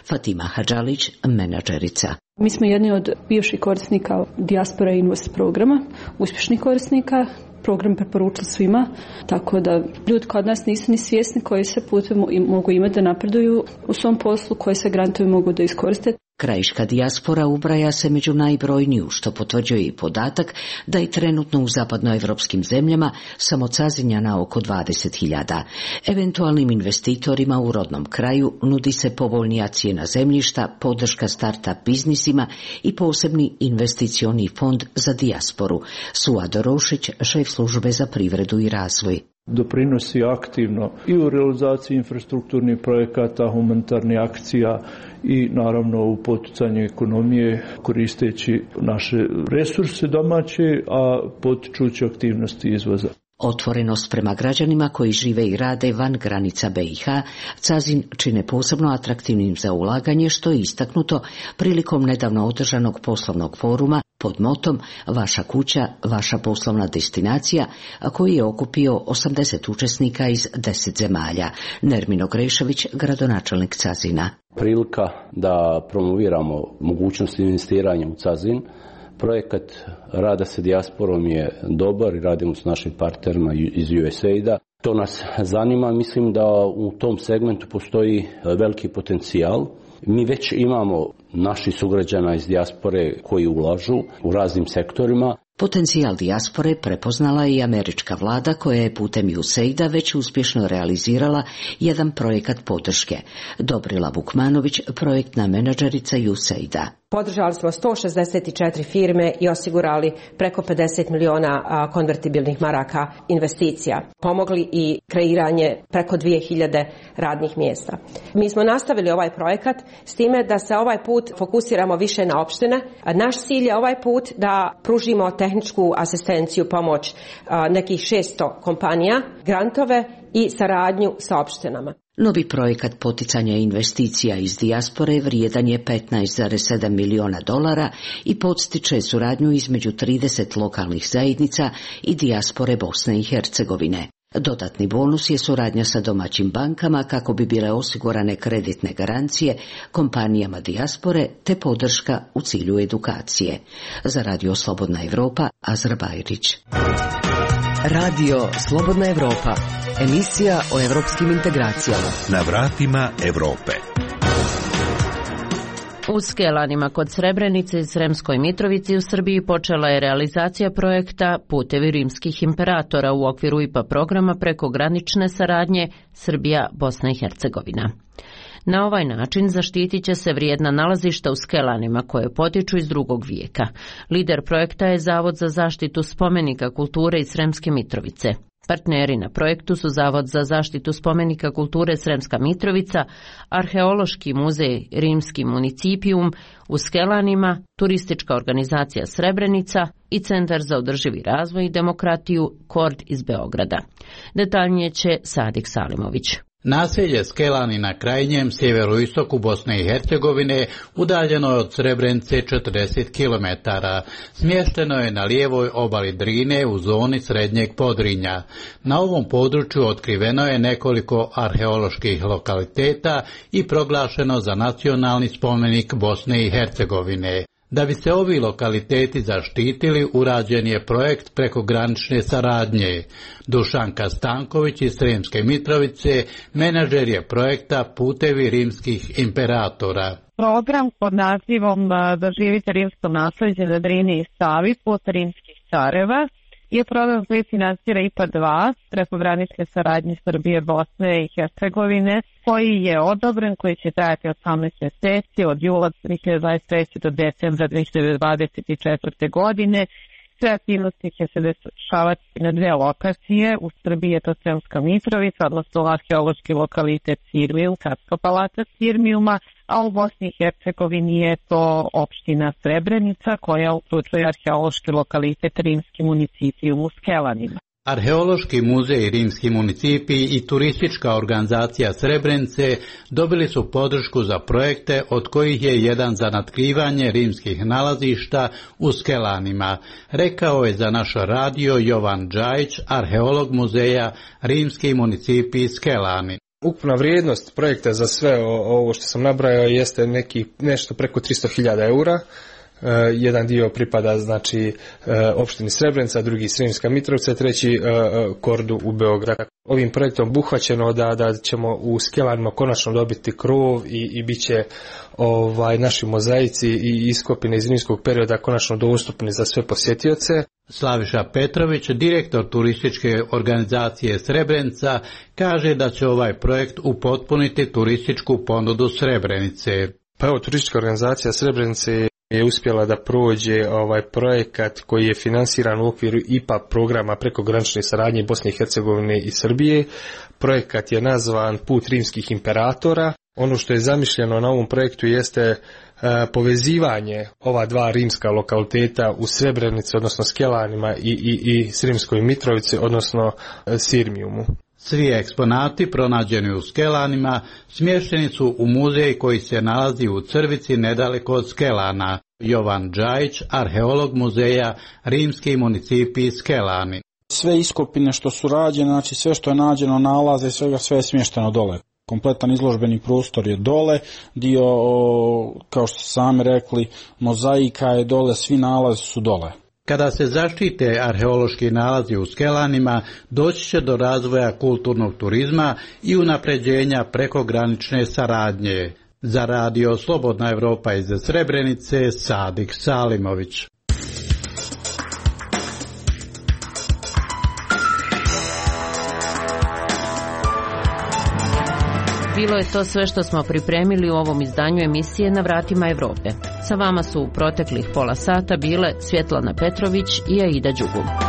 Fatima Hadžalić, menadžerica. Mi smo jedni od bivših korisnika Dijaspora Invest programa, uspješnih korisnika. Program preporučili svima, tako da ljudi kod nas nisu ni svjesni koji se putem mogu imati da napreduju u svom poslu, koje se grantovi mogu da iskoriste. Krajiška dijaspora ubraja se među najbrojniju, što potvrđuje i podatak da je trenutno u zapadnoevropskim zemljama samo Cazinja na oko dvadeset hiljada. Eventualnim investitorima u rodnom kraju nudi se povoljnija cijena zemljišta, podrška start-up biznisima i posebni investicioni fond za dijasporu. Suado Rošić, šef službe za privredu i razvoj. Doprinosi aktivno i u realizaciji infrastrukturnih projekata, humanitarnih akcija i naravno u poticanju ekonomije koristeći naše resurse domaće, a potičući aktivnosti izvoza. Otvorenost prema građanima koji žive i rade van granica B i H Cazin čine posebno atraktivnim za ulaganje, što je istaknuto prilikom nedavno održanog poslovnog foruma pod motom Vaša kuća, vaša poslovna destinacija, a koji je okupio osamdeset učesnika iz deset zemalja. Nermino Grešević, gradonačelnik Cazina. Prilika da promoviramo mogućnost investiranja u Cazin. Projekat rada sa dijasporom je dobar i radimo s našim partnerima iz U S A I D-a. To nas zanima, mislim da u tom segmentu postoji veliki potencijal. Mi već imamo naših sugrađana iz dijaspore koji ulažu u raznim sektorima. Potencijal dijaspore prepoznala je i američka vlada koja je putem U S A I D-a već uspješno realizirala jedan projekat podrške. Dobrila Vukmanović, projektna menadžerica U S A I D-a. Podržali smo sto šezdeset četiri firme i osigurali preko pedeset miliona konvertibilnih maraka investicija. Pomogli i kreiranje preko dvije hiljade radnih mjesta. Mi smo nastavili ovaj projekat s time da se ovaj put fokusiramo više na opštine. Naš cilj je ovaj put da pružimo tehničku asistenciju, pomoć nekih šesto kompanija, grantove i saradnju sa opštinama. Novi projekat poticanja investicija iz dijaspore vrijedan je petnaest zarez sedam miliona dolara i podstiče suradnju između trideset lokalnih zajednica i dijaspore Bosne i Hercegovine. Dodatni bonus je suradnja sa domaćim bankama kako bi bile osigurane kreditne garancije kompanijama dijaspore te podrška u cilju edukacije. Za Radio Slobodna Evropa, Azra Bajrić. Radio Slobodna Evropa, emisija o evropskim integracijama. Na vratima Evrope. U Skelanima kod Srebrenice i Sremskoj Mitrovici u Srbiji počela je realizacija projekta Putevi rimskih imperatora u okviru I P A programa prekogranične saradnje Srbija-Bosna i Hercegovina. Na ovaj način zaštitit će se vrijedna nalazišta u Skelanima koje potiču iz drugog vijeka. Lider projekta je Zavod za zaštitu spomenika kulture iz Sremske Mitrovice. Partneri na projektu su Zavod za zaštitu spomenika kulture Sremska Mitrovica, Arheološki muzej Rimski municipijum u Skelanima, Turistička organizacija Srebrenica i Centar za održivi razvoj i demokratiju Kord iz Beograda. Detaljnije će Sadik Salimović. Naselje Skelani na krajnjem sjeveroistoku Bosne i Hercegovine udaljeno je od Srebrenice četrdeset kilometara. Smješteno je na lijevoj obali Drine u zoni srednjeg Podrinja. Na ovom području otkriveno je nekoliko arheoloških lokaliteta i proglašeno za nacionalni spomenik Bosne i Hercegovine. Da bi se ovi lokaliteti zaštitili, urađen je projekt prekogranične saradnje. Dušanka Stanković iz Sremske Mitrovice, menadžer je projekta Putevi rimskih imperatora. Program pod nazivom Doživite rimsko nasljeđe na Drini i Savi, put rimskih careva, je program koji financira I P A dva, prekogranične saradnje Srbije, Bosne i Hercegovine, koji je odobren, koji će trajati osamnaest mjeseci od jula dvije hiljade dvadeset treće do decembra dvije hiljade dvadeset četvrte godine. Sve aktivnosti će se dešavati na dve lokacije. U Srbiji je to Sremska Mitrovica, odnosno arheološki lokalitet Sirmijum, Carska palata Sirmijuma, a u Bosni i Hercegovini je to opština Srebrenica koja uključuje arheološki lokalitet Rimski municipijum u Skelanima. Arheološki muzej Rimski municipij i turistička organizacija Srebrenice dobili su podršku za projekte od kojih je jedan za natkrivanje rimskih nalazišta u Skelanima, rekao je za naš radio Jovan Đajić, arheolog muzeja Rimski municipij Skelani. Ukupna vrijednost projekta za sve ovo što sam nabrajao jeste neki nešto preko tristo hiljada eura. Uh, jedan dio pripada znači uh, opštini Srebrenica, drugi Sremska Mitrovica, treći uh, Kordu u Beogradu. Ovim projektom obuhvaćeno da da ćemo u Skelanima konačno dobiti krov i i biće ovaj naši mozaici i iskopine iz rimskog perioda konačno dostupni za sve posjetioce. Slaviša Petrović, direktor turističke organizacije Srebrenica, kaže da će ovaj projekt upotpuniti turističku ponudu Srebrenice. Pa evo, turistička organizacija Srebrenice je uspjela da prođe ovaj projekat koji je finansiran u okviru I P A programa prekogranične saradnje Bosne i Hercegovine i Srbije. Projekat je nazvan Put rimskih imperatora. Ono što je zamišljeno na ovom projektu jeste povezivanje ova dva rimska lokaliteta u Srebrenici, odnosno Skelanima i, i, i Sremskoj Mitrovici, odnosno Sirmijumu. Svi eksponati pronađeni u Skelanima smješteni su u muzej koji se nalazi u Crvici nedaleko od Skelana. Jovan Đajić, arheolog muzeja Rimski municipij Skelani. Sve iskopine što su rađene, znači sve što je nađeno, nalaze i svega, sve je smješteno dole. Kompletan izložbeni prostor je dole, dio, kao što sami rekli, mozaika je dole, svi nalazi su dole. Kada se zaštite arheološki nalazi u Skelanima, doći će do razvoja kulturnog turizma i unapređenja prekogranične saradnje. Za radio Slobodna Evropa iz Srebrenice, Sadik Salimović. Bilo je to sve što smo pripremili u ovom izdanju emisije Na vratima Evrope. Sa vama su u proteklih pola sata bile Svjetlana Petrović i Aida Đugum.